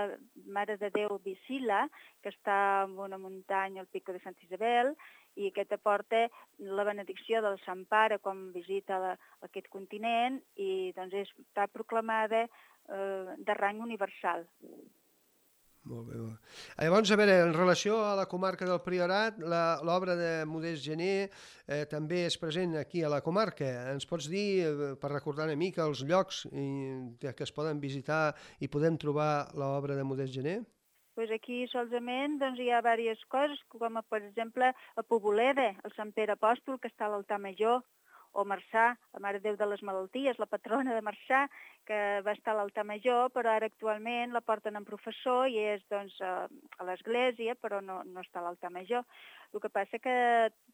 [SPEAKER 6] Mare de Déu Visila, que està en una muntanya al Pico de Santa Isabel, i aquest aporta la benedicció del Sant Pare quan visita la, aquest continent i doncs, està proclamada eh, de rang universal.
[SPEAKER 2] Molt bé. Llavors, a veure, en relació a la comarca del Priorat, l'obra de Modest Gener eh, també és present aquí a la comarca. Ens pots dir, eh, per recordar una mica, els llocs i, que es poden visitar i podem trobar l'obra de Modest Gener?
[SPEAKER 6] Pues aquí solament doncs, hi ha diverses coses, com per exemple a Poboleda, el Sant Pere Apòstol, que està a l'altar major, o Marçà, la Mare de Déu de les Malalties, la patrona de Marçà, que va estar a l'altar major, però ara actualment la porten en professor i és doncs, a, a l'església, però no, no està a l'altar major. El que passa que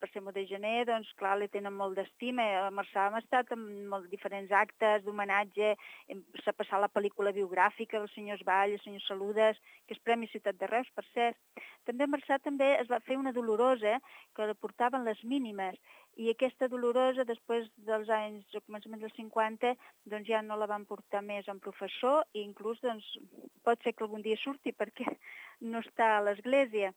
[SPEAKER 6] per ser Modest Gener, doncs, clar, li tenen molt d'estima. A Marçà hem estat en molts diferents actes d'homenatge, s'ha passat la pel·lícula biogràfica dels senyors Vall, els senyors Saludes, que és Premi Ciutat de Reus, per cert. També a Marçà també es va fer una dolorosa que la portaven les mínimes, i aquesta dolorosa, després dels anys, al començament dels cinquanta, doncs ja no la van portar més en professor i inclús doncs, pot ser que algun dia surti perquè no està a l'església.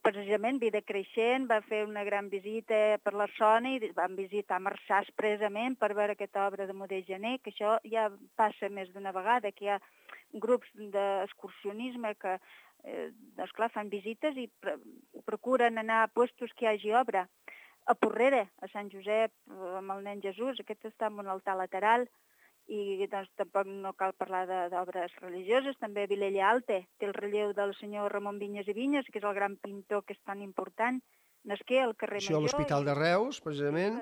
[SPEAKER 6] Precisament, Vida Creixent va fer una gran visita per la zona i van visitar Marçà expressament per veure aquesta obra de Modest Gener, que això ja passa més d'una vegada, que hi ha grups d'excursionisme que eh, doncs, clar, fan visites i procuren anar a puestos que hi hagi obra. A Porrera, a Sant Josep, amb el nen Jesús, aquest està en un altar lateral i doncs, tampoc no cal parlar d'obres religioses. També a Vilella Alta té el relleu del senyor Ramon Vinyes i Vinyes, que és el gran pintor que és tan important. Nasqué al carrer Major.
[SPEAKER 2] Això a l'Hospital de Reus, precisament,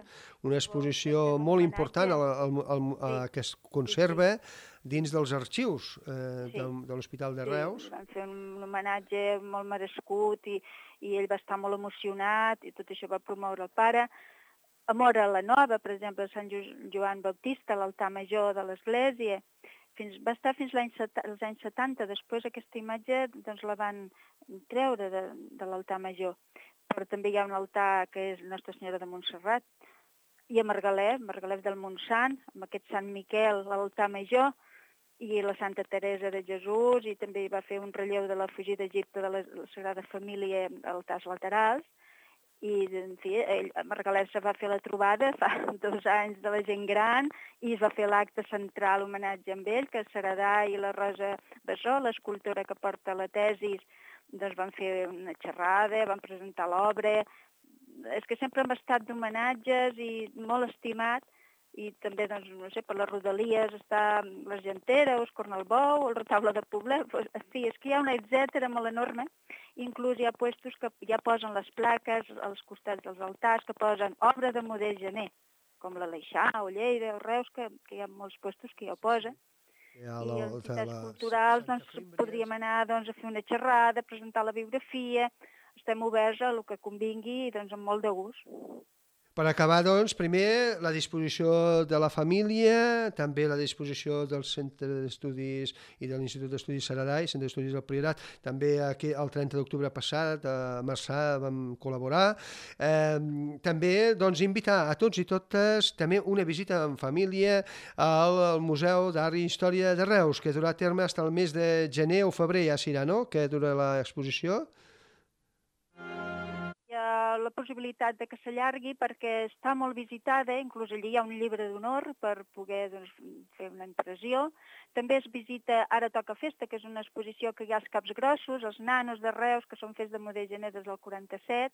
[SPEAKER 2] una exposició molt important al, al, al, a, que es conserva dins dels arxius eh, sí. de, de l'Hospital de Reus.
[SPEAKER 6] Sí, van fer un homenatge molt merescut i, i ell va estar molt emocionat i tot això va promoure el pare. A Móra la Nova, per exemple, Sant Joan Baptista, l'altar major de l'església, fins, va estar fins l'any als anys setanta. Després aquesta imatge doncs, la van treure de, de l'altar major. però també hi ha un altar que és Nostra Senyora de Montserrat, i a Margalef, Margalef del Montsant, amb aquest Sant Miquel, l'altar major, i la Santa Teresa de Jesús, i també va fer un relleu de la fugida d'Egipte de la, la Sagrada Família a altars laterals, i en fi, ell, a Margalef se va fer la trobada fa dos anys de la gent gran i es va fer l'acte central homenatge amb ell, que Saradà i la Rosa Bessó, l'escultora que porta la tesis, doncs van fer una xerrada, van presentar l'obra. És que sempre hem estat d'homenatges i molt estimat, i també, doncs, no sé, per les rodalies està l'Argentera, el Cornelbou, el Retaule de Poblet, en fi, és que hi ha una etcètera molt enorme. Inclús hi ha puestos que ja posen les plaques als costats dels altars, que posen obra de Modest Gené, com la l'Aleixar o Lleida o Reus, que, que hi ha molts puestos que ja ho posen. I a entitats culturals doncs, podríem anar doncs, a fer una xerrada, presentar la biografia. Estem oberts a el que convingui, doncs, amb molt de gust.
[SPEAKER 2] Per acabar, doncs, primer la disposició de la família, també la disposició del Centre d'Estudis i de l'Institut d'Estudis Saradà i Centre d'Estudis del Priorat. També aquí el trenta d'octubre passat a Marçà vam col·laborar. Eh, també doncs, invitar a tots i totes també una visita en família al Museu d'Art i Història de Reus, que durà a terme fins al mes de gener o febrer, ja serà, no?, que dura l'exposició.
[SPEAKER 6] La possibilitat de que s'allargui perquè està molt visitada, inclús allí hi ha un llibre d'honor per poder doncs, fer una impressió. També es visita Ara toca festa, que és una exposició que hi ha als Caps Grossos, els nanos de Reus, que són fets de Modest Gené des del quaranta-set,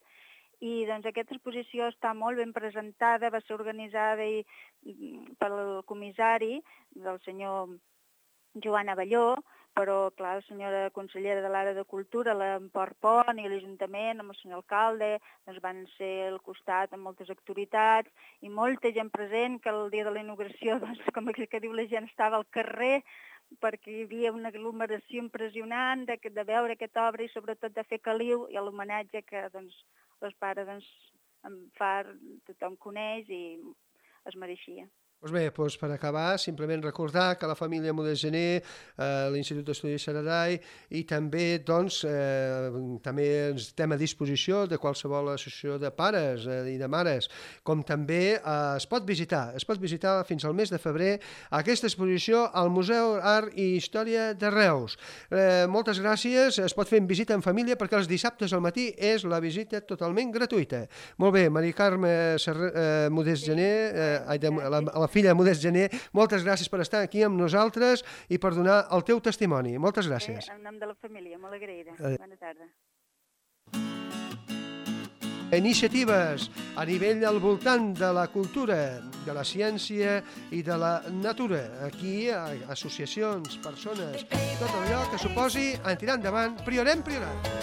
[SPEAKER 6] i doncs, aquesta exposició està molt ben presentada, va ser organitzada i, pel comissari del senyor Joan Avelló, però, clar, la senyora consellera de l'Àrea de Cultura, l'Emport Pont i l'Ajuntament, amb el senyor alcalde, doncs van ser al costat amb moltes autoritats i molta gent present, que el dia de la inauguració, doncs, com que diu la gent, estava al carrer, perquè hi havia una aglomeració impressionant de, de veure aquesta obra i sobretot de fer caliu i l'homenatge que doncs, els pares doncs, en fa, tothom coneix i es mereixia.
[SPEAKER 2] Doncs bé, doncs per acabar, simplement recordar que la família Modest Gené, eh, l'Institut d'Estudis Saradà i també, doncs, eh, també estem a disposició de qualsevol associació de pares eh, i de mares, com també eh, es pot visitar, es pot visitar fins al mes de febrer aquesta exposició al Museu Art i Història de Reus. Eh, moltes gràcies, es pot fer en visita en família perquè els dissabtes al matí és la visita totalment gratuïta. Molt bé, Mari Carme Serra, eh, Modest Gené, eh, de, la, la filla Modest Gené, moltes gràcies per estar aquí amb nosaltres i per donar el teu testimoni. Moltes gràcies.
[SPEAKER 6] Eh, en nom de la família, molt agraïda. Eh. Bona tarda.
[SPEAKER 2] Iniciatives a nivell al voltant de la cultura, de la ciència i de la natura. Aquí, associacions, persones, tot allò que suposi en tirar endavant Priorem Priorat.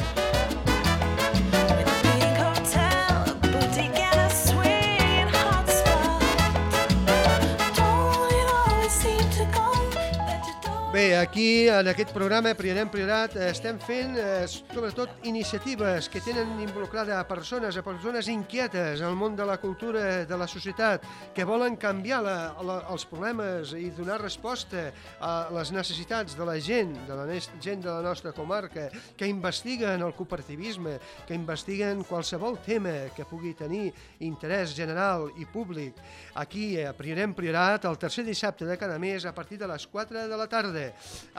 [SPEAKER 2] Bé, aquí en aquest programa Priorem Priorat estem fent eh, sobretot iniciatives que tenen involucrada a persones, a persones inquietes al món de la cultura, de la societat, que volen canviar la, la, els problemes i donar resposta a les necessitats de la gent, de la gent de la nostra comarca, que investiguen el cooperativisme, que investiguen qualsevol tema que pugui tenir interès general i públic. Aquí a Priorem Priorat, el tercer dissabte de cada mes, a partir de les quatre de la tarda.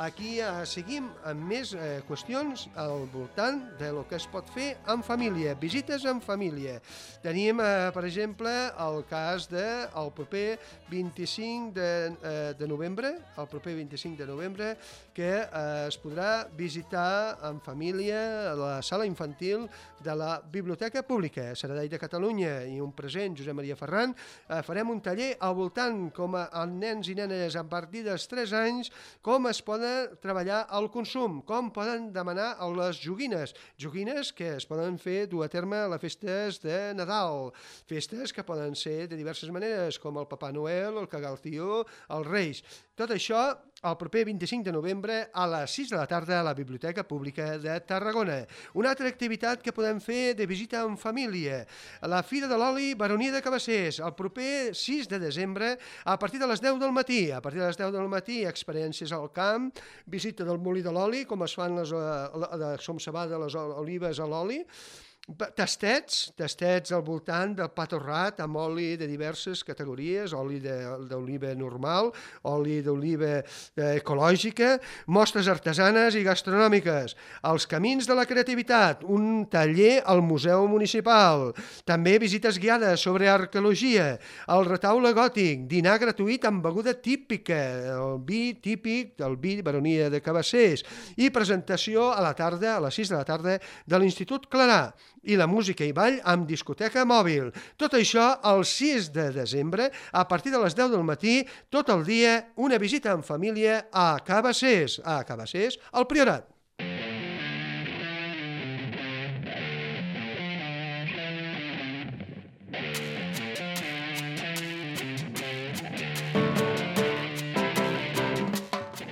[SPEAKER 2] Aquí eh, seguim amb més eh, qüestions al voltant de lo que es pot fer en família, visites en família. Tenim, eh, per exemple, el cas del de, proper vint-i-cinc de, eh, de novembre, el proper vint-i-cinc de novembre, que eh, es podrà visitar en família la sala infantil de la Biblioteca Pública Saradà de Catalunya i un present, Josep Maria Ferran. Eh, farem un taller al voltant com a, a nens i nenes a partir dels tres anys, com es poden treballar el consum, com poden demanar les joguines, joguines que es poden fer dur a terme a les festes de Nadal, festes que poden ser de diverses maneres, com el Papà Noel, el Cagaltió, els Reis. Tot això el proper vint-i-cinc de novembre a les sis de la tarda a la Biblioteca Pública de Tarragona. Una altra activitat que podem fer de visita en família, la Fira de l'Oli Baronia de Cabassers, el proper sis de desembre a partir de les deu del matí. A partir de les deu del matí, experiències al camp, visita del molí de l'oli, com es fan les, de som cebada les olives a l'oli, Tastets, tastets al voltant del pa torrat amb oli de diverses categories, oli d'oliva normal, oli d'oliva ecològica, mostres artesanes i gastronòmiques, els camins de la creativitat, un taller al Museu Municipal, també visites guiades sobre arqueologia, el retaule gòtic, dinar gratuït amb beguda típica, el vi típic del vi Baronia de Cabassers i presentació a la tarda, a les sis de la tarda, de l'Institut Clarà, i la música i ball amb discoteca mòbil. Tot això el sis de desembre, a partir de les deu del matí, tot el dia, una visita en família a Cabassers, a Cabassers, al Priorat.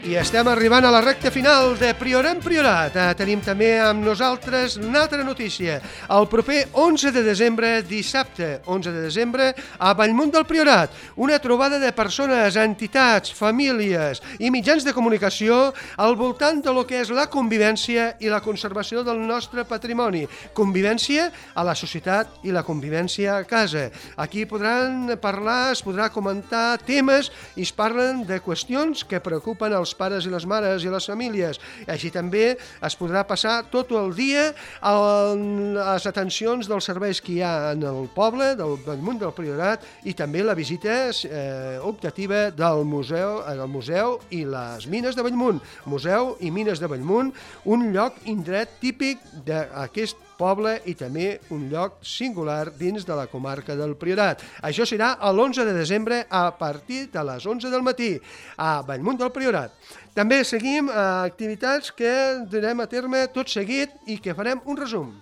[SPEAKER 2] I estem arribant a la recta final de Priorat en Priorat. Eh, tenim també amb nosaltres una altra notícia. El proper onze de desembre, dissabte onze de desembre, a Bellmunt del Priorat, una trobada de persones, entitats, famílies i mitjans de comunicació al voltant de lo que és la convivència i la conservació del nostre patrimoni. Convivència a la societat i la convivència a casa. Aquí podran parlar, es podrà comentar temes i es parlen de qüestions que preocupen els pares i les mares i les famílies. Així també es podrà passar tot el dia a les atencions dels serveis que hi ha en el poble, del Bellmunt del Priorat, i també la visita eh, optativa del museu, del museu i les mines de Bellmunt. Museu i mines de Bellmunt, un lloc indret típic d'aquest poble i també un lloc singular dins de la comarca del Priorat. Això serà l'onze de desembre a partir de les onze del matí a Bellmunt del Priorat. També seguim eh, activitats que durem a terme tot seguit i que farem un resum.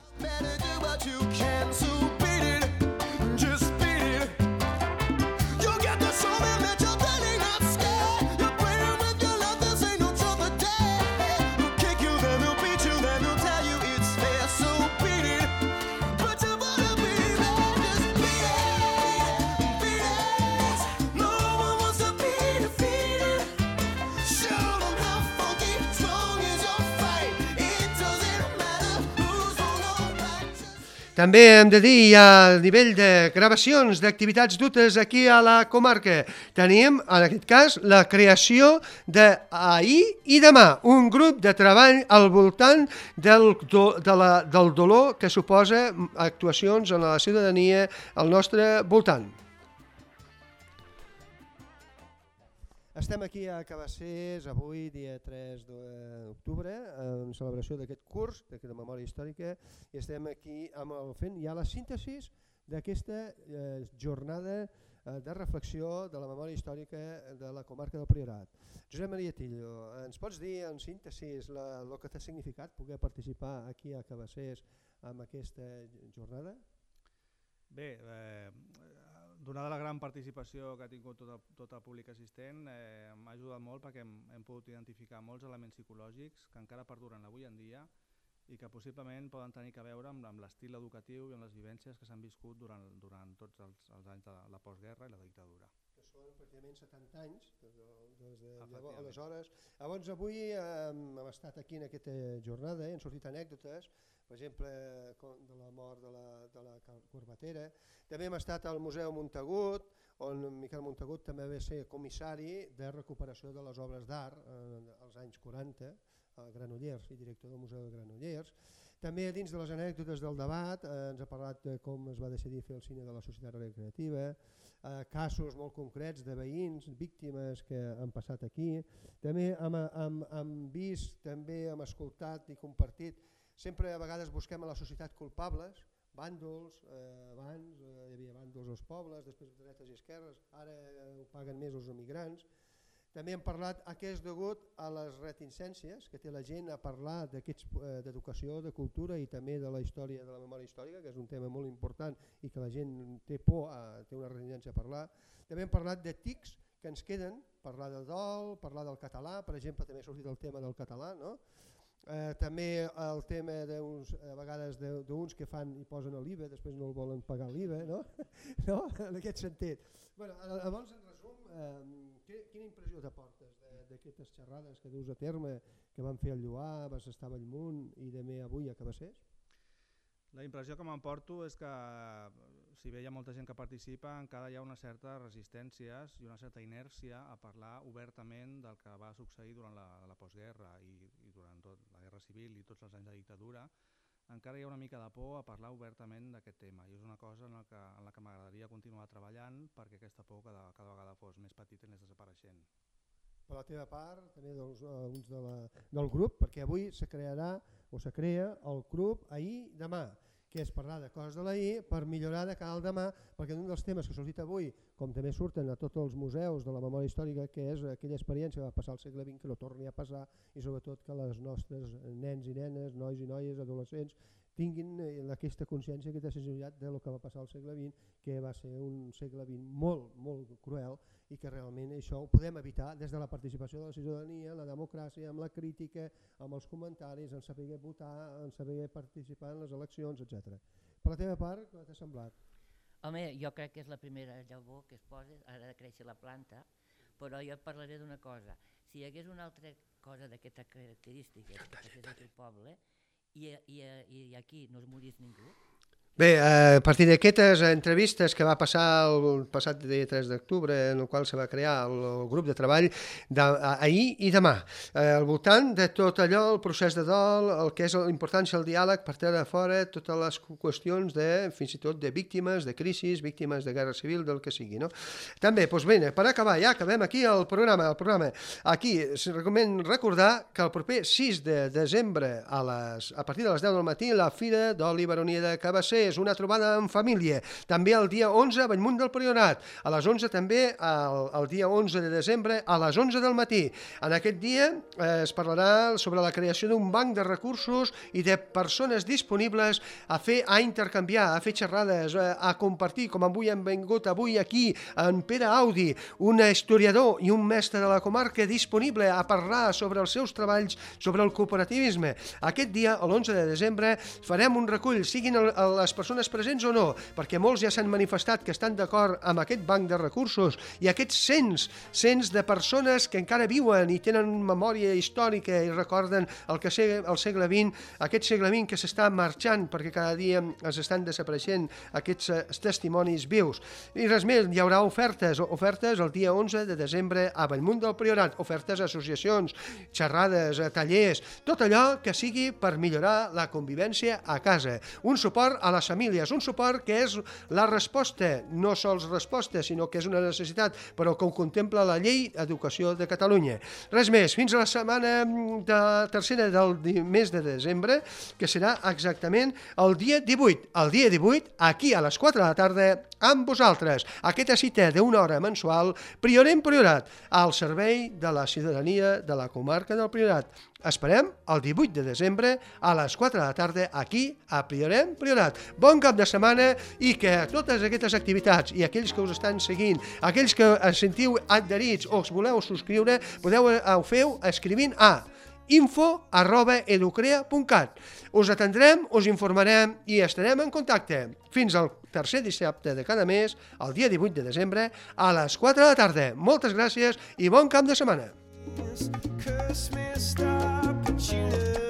[SPEAKER 2] També hem de dir, a nivell de gravacions d'activitats dutes aquí a la comarca, tenim, en aquest cas, la creació d'ahir i demà, un grup de treball al voltant del, do, de la, del dolor que suposa actuacions en la ciutadania al nostre voltant. Estem aquí a Cabassers avui, dia tres d'octubre, en celebració d'aquest curs de memòria històrica, i estem aquí amb el, fent ja la síntesi d'aquesta eh, jornada eh, de reflexió de la memòria històrica de la comarca del Priorat. Josep Maria Tillo, ens pots dir en síntesi el que t'ha significat poder participar aquí a Cabassers amb aquesta jornada?
[SPEAKER 7] Bé, eh, donada la gran participació que ha tingut tot el, tot el públic assistent, eh, m'ha ajudat molt perquè hem, hem pogut identificar molts elements psicològics que encara perduren avui en dia i que possiblement poden tenir a veure amb, amb l'estil educatiu i amb les vivències que s'han viscut durant, durant tots els, els anys de la postguerra i la dictadura.
[SPEAKER 2] Que són pràcticament setanta anys, des de, des de llavors, aleshores. Llavors avui eh, hem estat aquí en aquesta jornada, eh, han sortit anècdotes, per exemple, de la mort de la, de la Corbatera. També hem estat al Museu Montagut, on Miquel Montagut també va ser comissari de recuperació de les obres d'art als anys quaranta, a Granollers i director del Museu de Granollers. També dins de les anècdotes del debat eh, ens ha parlat de com es va decidir fer el cine de la societat recreativa, eh, casos molt concrets de veïns, víctimes que han passat aquí. També hem, hem, hem vist, també hem escoltat i compartit. Sempre a vegades busquem a la societat culpables, bàndols, eh, abans eh, hi havia bàndols als pobles, després de dretes i esquerres, ara eh, ho paguen més els emigrants. També hem parlat a què és degut a les reticències que té la gent a parlar d'educació, de cultura i també de la història, de la memòria històrica, que és un tema molt important i que la gent té por, a, té una reticència a parlar. També hem parlat de tics que ens queden, parlar de dol, parlar del català, per exemple també ha sortit el tema del català, no? Eh, també el tema d'uns, a vegades d'uns que fan i posen l'I V A, després no el volen pagar l'I V A, no? No? En aquest sentit. Bueno, llavors, en resum, eh, quina impressió t'aportes d'aquestes xerrades que duus a terme, que van fer al Lloar, vas estar a Bellmunt i també avui a Cabassers?
[SPEAKER 7] La impressió que m'emporto és que, si bé hi ha molta gent que participa, encara hi ha una certa resistències i una certa inèrcia a parlar obertament del que va succeir durant la, la postguerra i, i durant tot la guerra civil i tots els anys de dictadura. Encara hi ha una mica de por a parlar obertament d'aquest tema i és una cosa en la que, en la que m'agradaria continuar treballant perquè aquesta por cada, cada vegada fos més petita i anés desapareixent.
[SPEAKER 2] Per la teva part, també dels, alguns de la, del grup, perquè avui se crearà o se crea el grup ahir demà, que és parlar de coses de l'ahir per millorar de cara al demà, perquè un dels temes que s'ha dit avui, com també surten a tots els museus de la memòria històrica, que és aquella experiència que va passar al segle vint, que no torni a passar, i sobretot que les nostres nens i nenes, nois i noies, adolescents, tinguin aquesta consciència, aquesta sensibilitat del que va passar al segle vint, que va ser un segle vint molt, molt cruel, i que realment això ho podem evitar des de la participació de la ciutadania, la democràcia, amb la crítica, amb els comentaris, en saber votar, en saber participar en les eleccions, etcètera. Per la teva part, què t'ha semblat?
[SPEAKER 8] Home, jo crec que és la primera llavor que es posa, ara de créixer la planta, però jo et parlaré d'una cosa. Si hi hagués una altra cosa d'aquestes característiques que passés aquí al poble i, i, i aquí no es morís ningú.
[SPEAKER 2] Bé, a partir d'aquestes entrevistes que va passar el passat dia tres d'octubre, en el qual se va crear el, el grup de treball d'ahir i demà, eh, al voltant de tot allò, el procés de dol, el que és l'importància del diàleg per treure fora totes les qüestions de, fins i tot de víctimes, de crisis, víctimes de guerra civil, del que sigui, no? També, doncs bé, per acabar, ja acabem aquí el programa, el programa. Aquí, recomen recordar que el proper sis de desembre, a, les, a partir de les deu del matí, la Fira d'Oli Baronia de Cabasser, és una trobada en família. També el dia onze a Bellmunt del Priorat, a les onze també el, el dia onze de desembre a les onze del matí. En aquest dia eh, es parlarà sobre la creació d'un banc de recursos i de persones disponibles a fer, a intercanviar, a fer xerrades, a, a compartir, com avui hem vingut avui aquí en Pere Audi, un historiador i un mestre de la comarca disponible a parlar sobre els seus treballs sobre el cooperativisme. Aquest dia, l'onze de desembre, farem un recull, siguin el, el, les persones presents o no, perquè molts ja s'han manifestat que estan d'acord amb aquest banc de recursos i aquests cents, cents de persones que encara viuen i tenen memòria històrica i recorden el que sé, el segle vint, aquest segle vint que s'està marxant perquè cada dia es estan desapareixent aquests testimonis vius. I res més, hi haurà ofertes, ofertes el dia onze de desembre a Bellmunt del Priorat, ofertes a associacions, xerrades, a tallers, tot allò que sigui per millorar la convivència a casa. Un suport a les famílies, un suport que és la resposta, no sols resposta, sinó que és una necessitat, però que ho contempla la Llei d'Educació de Catalunya. Res més, fins a la setmana de tercera del mes de desembre, que serà exactament el dia divuit. El dia divuit, aquí a les quatre de la tarda, amb vosaltres. Aquesta cita d'una hora mensual, Priorat en Priorat, al servei de la ciutadania de la comarca del Priorat. Esperem el divuit de desembre a les quatre de la tarda aquí a Priorat en Priorat. Bon cap de setmana i que totes aquestes activitats i aquells que us estan seguint, aquells que es sentiu adherits o us voleu subscriure, podeu ho feu escrivint a info arroba educrea punt cat. Us atendrem, us informarem i estarem en contacte. Fins al tercer dissabte de cada mes, el dia divuit de desembre, a les quatre de la tarda. Moltes gràcies i bon cap de setmana.
[SPEAKER 1] Curse me, stop, but you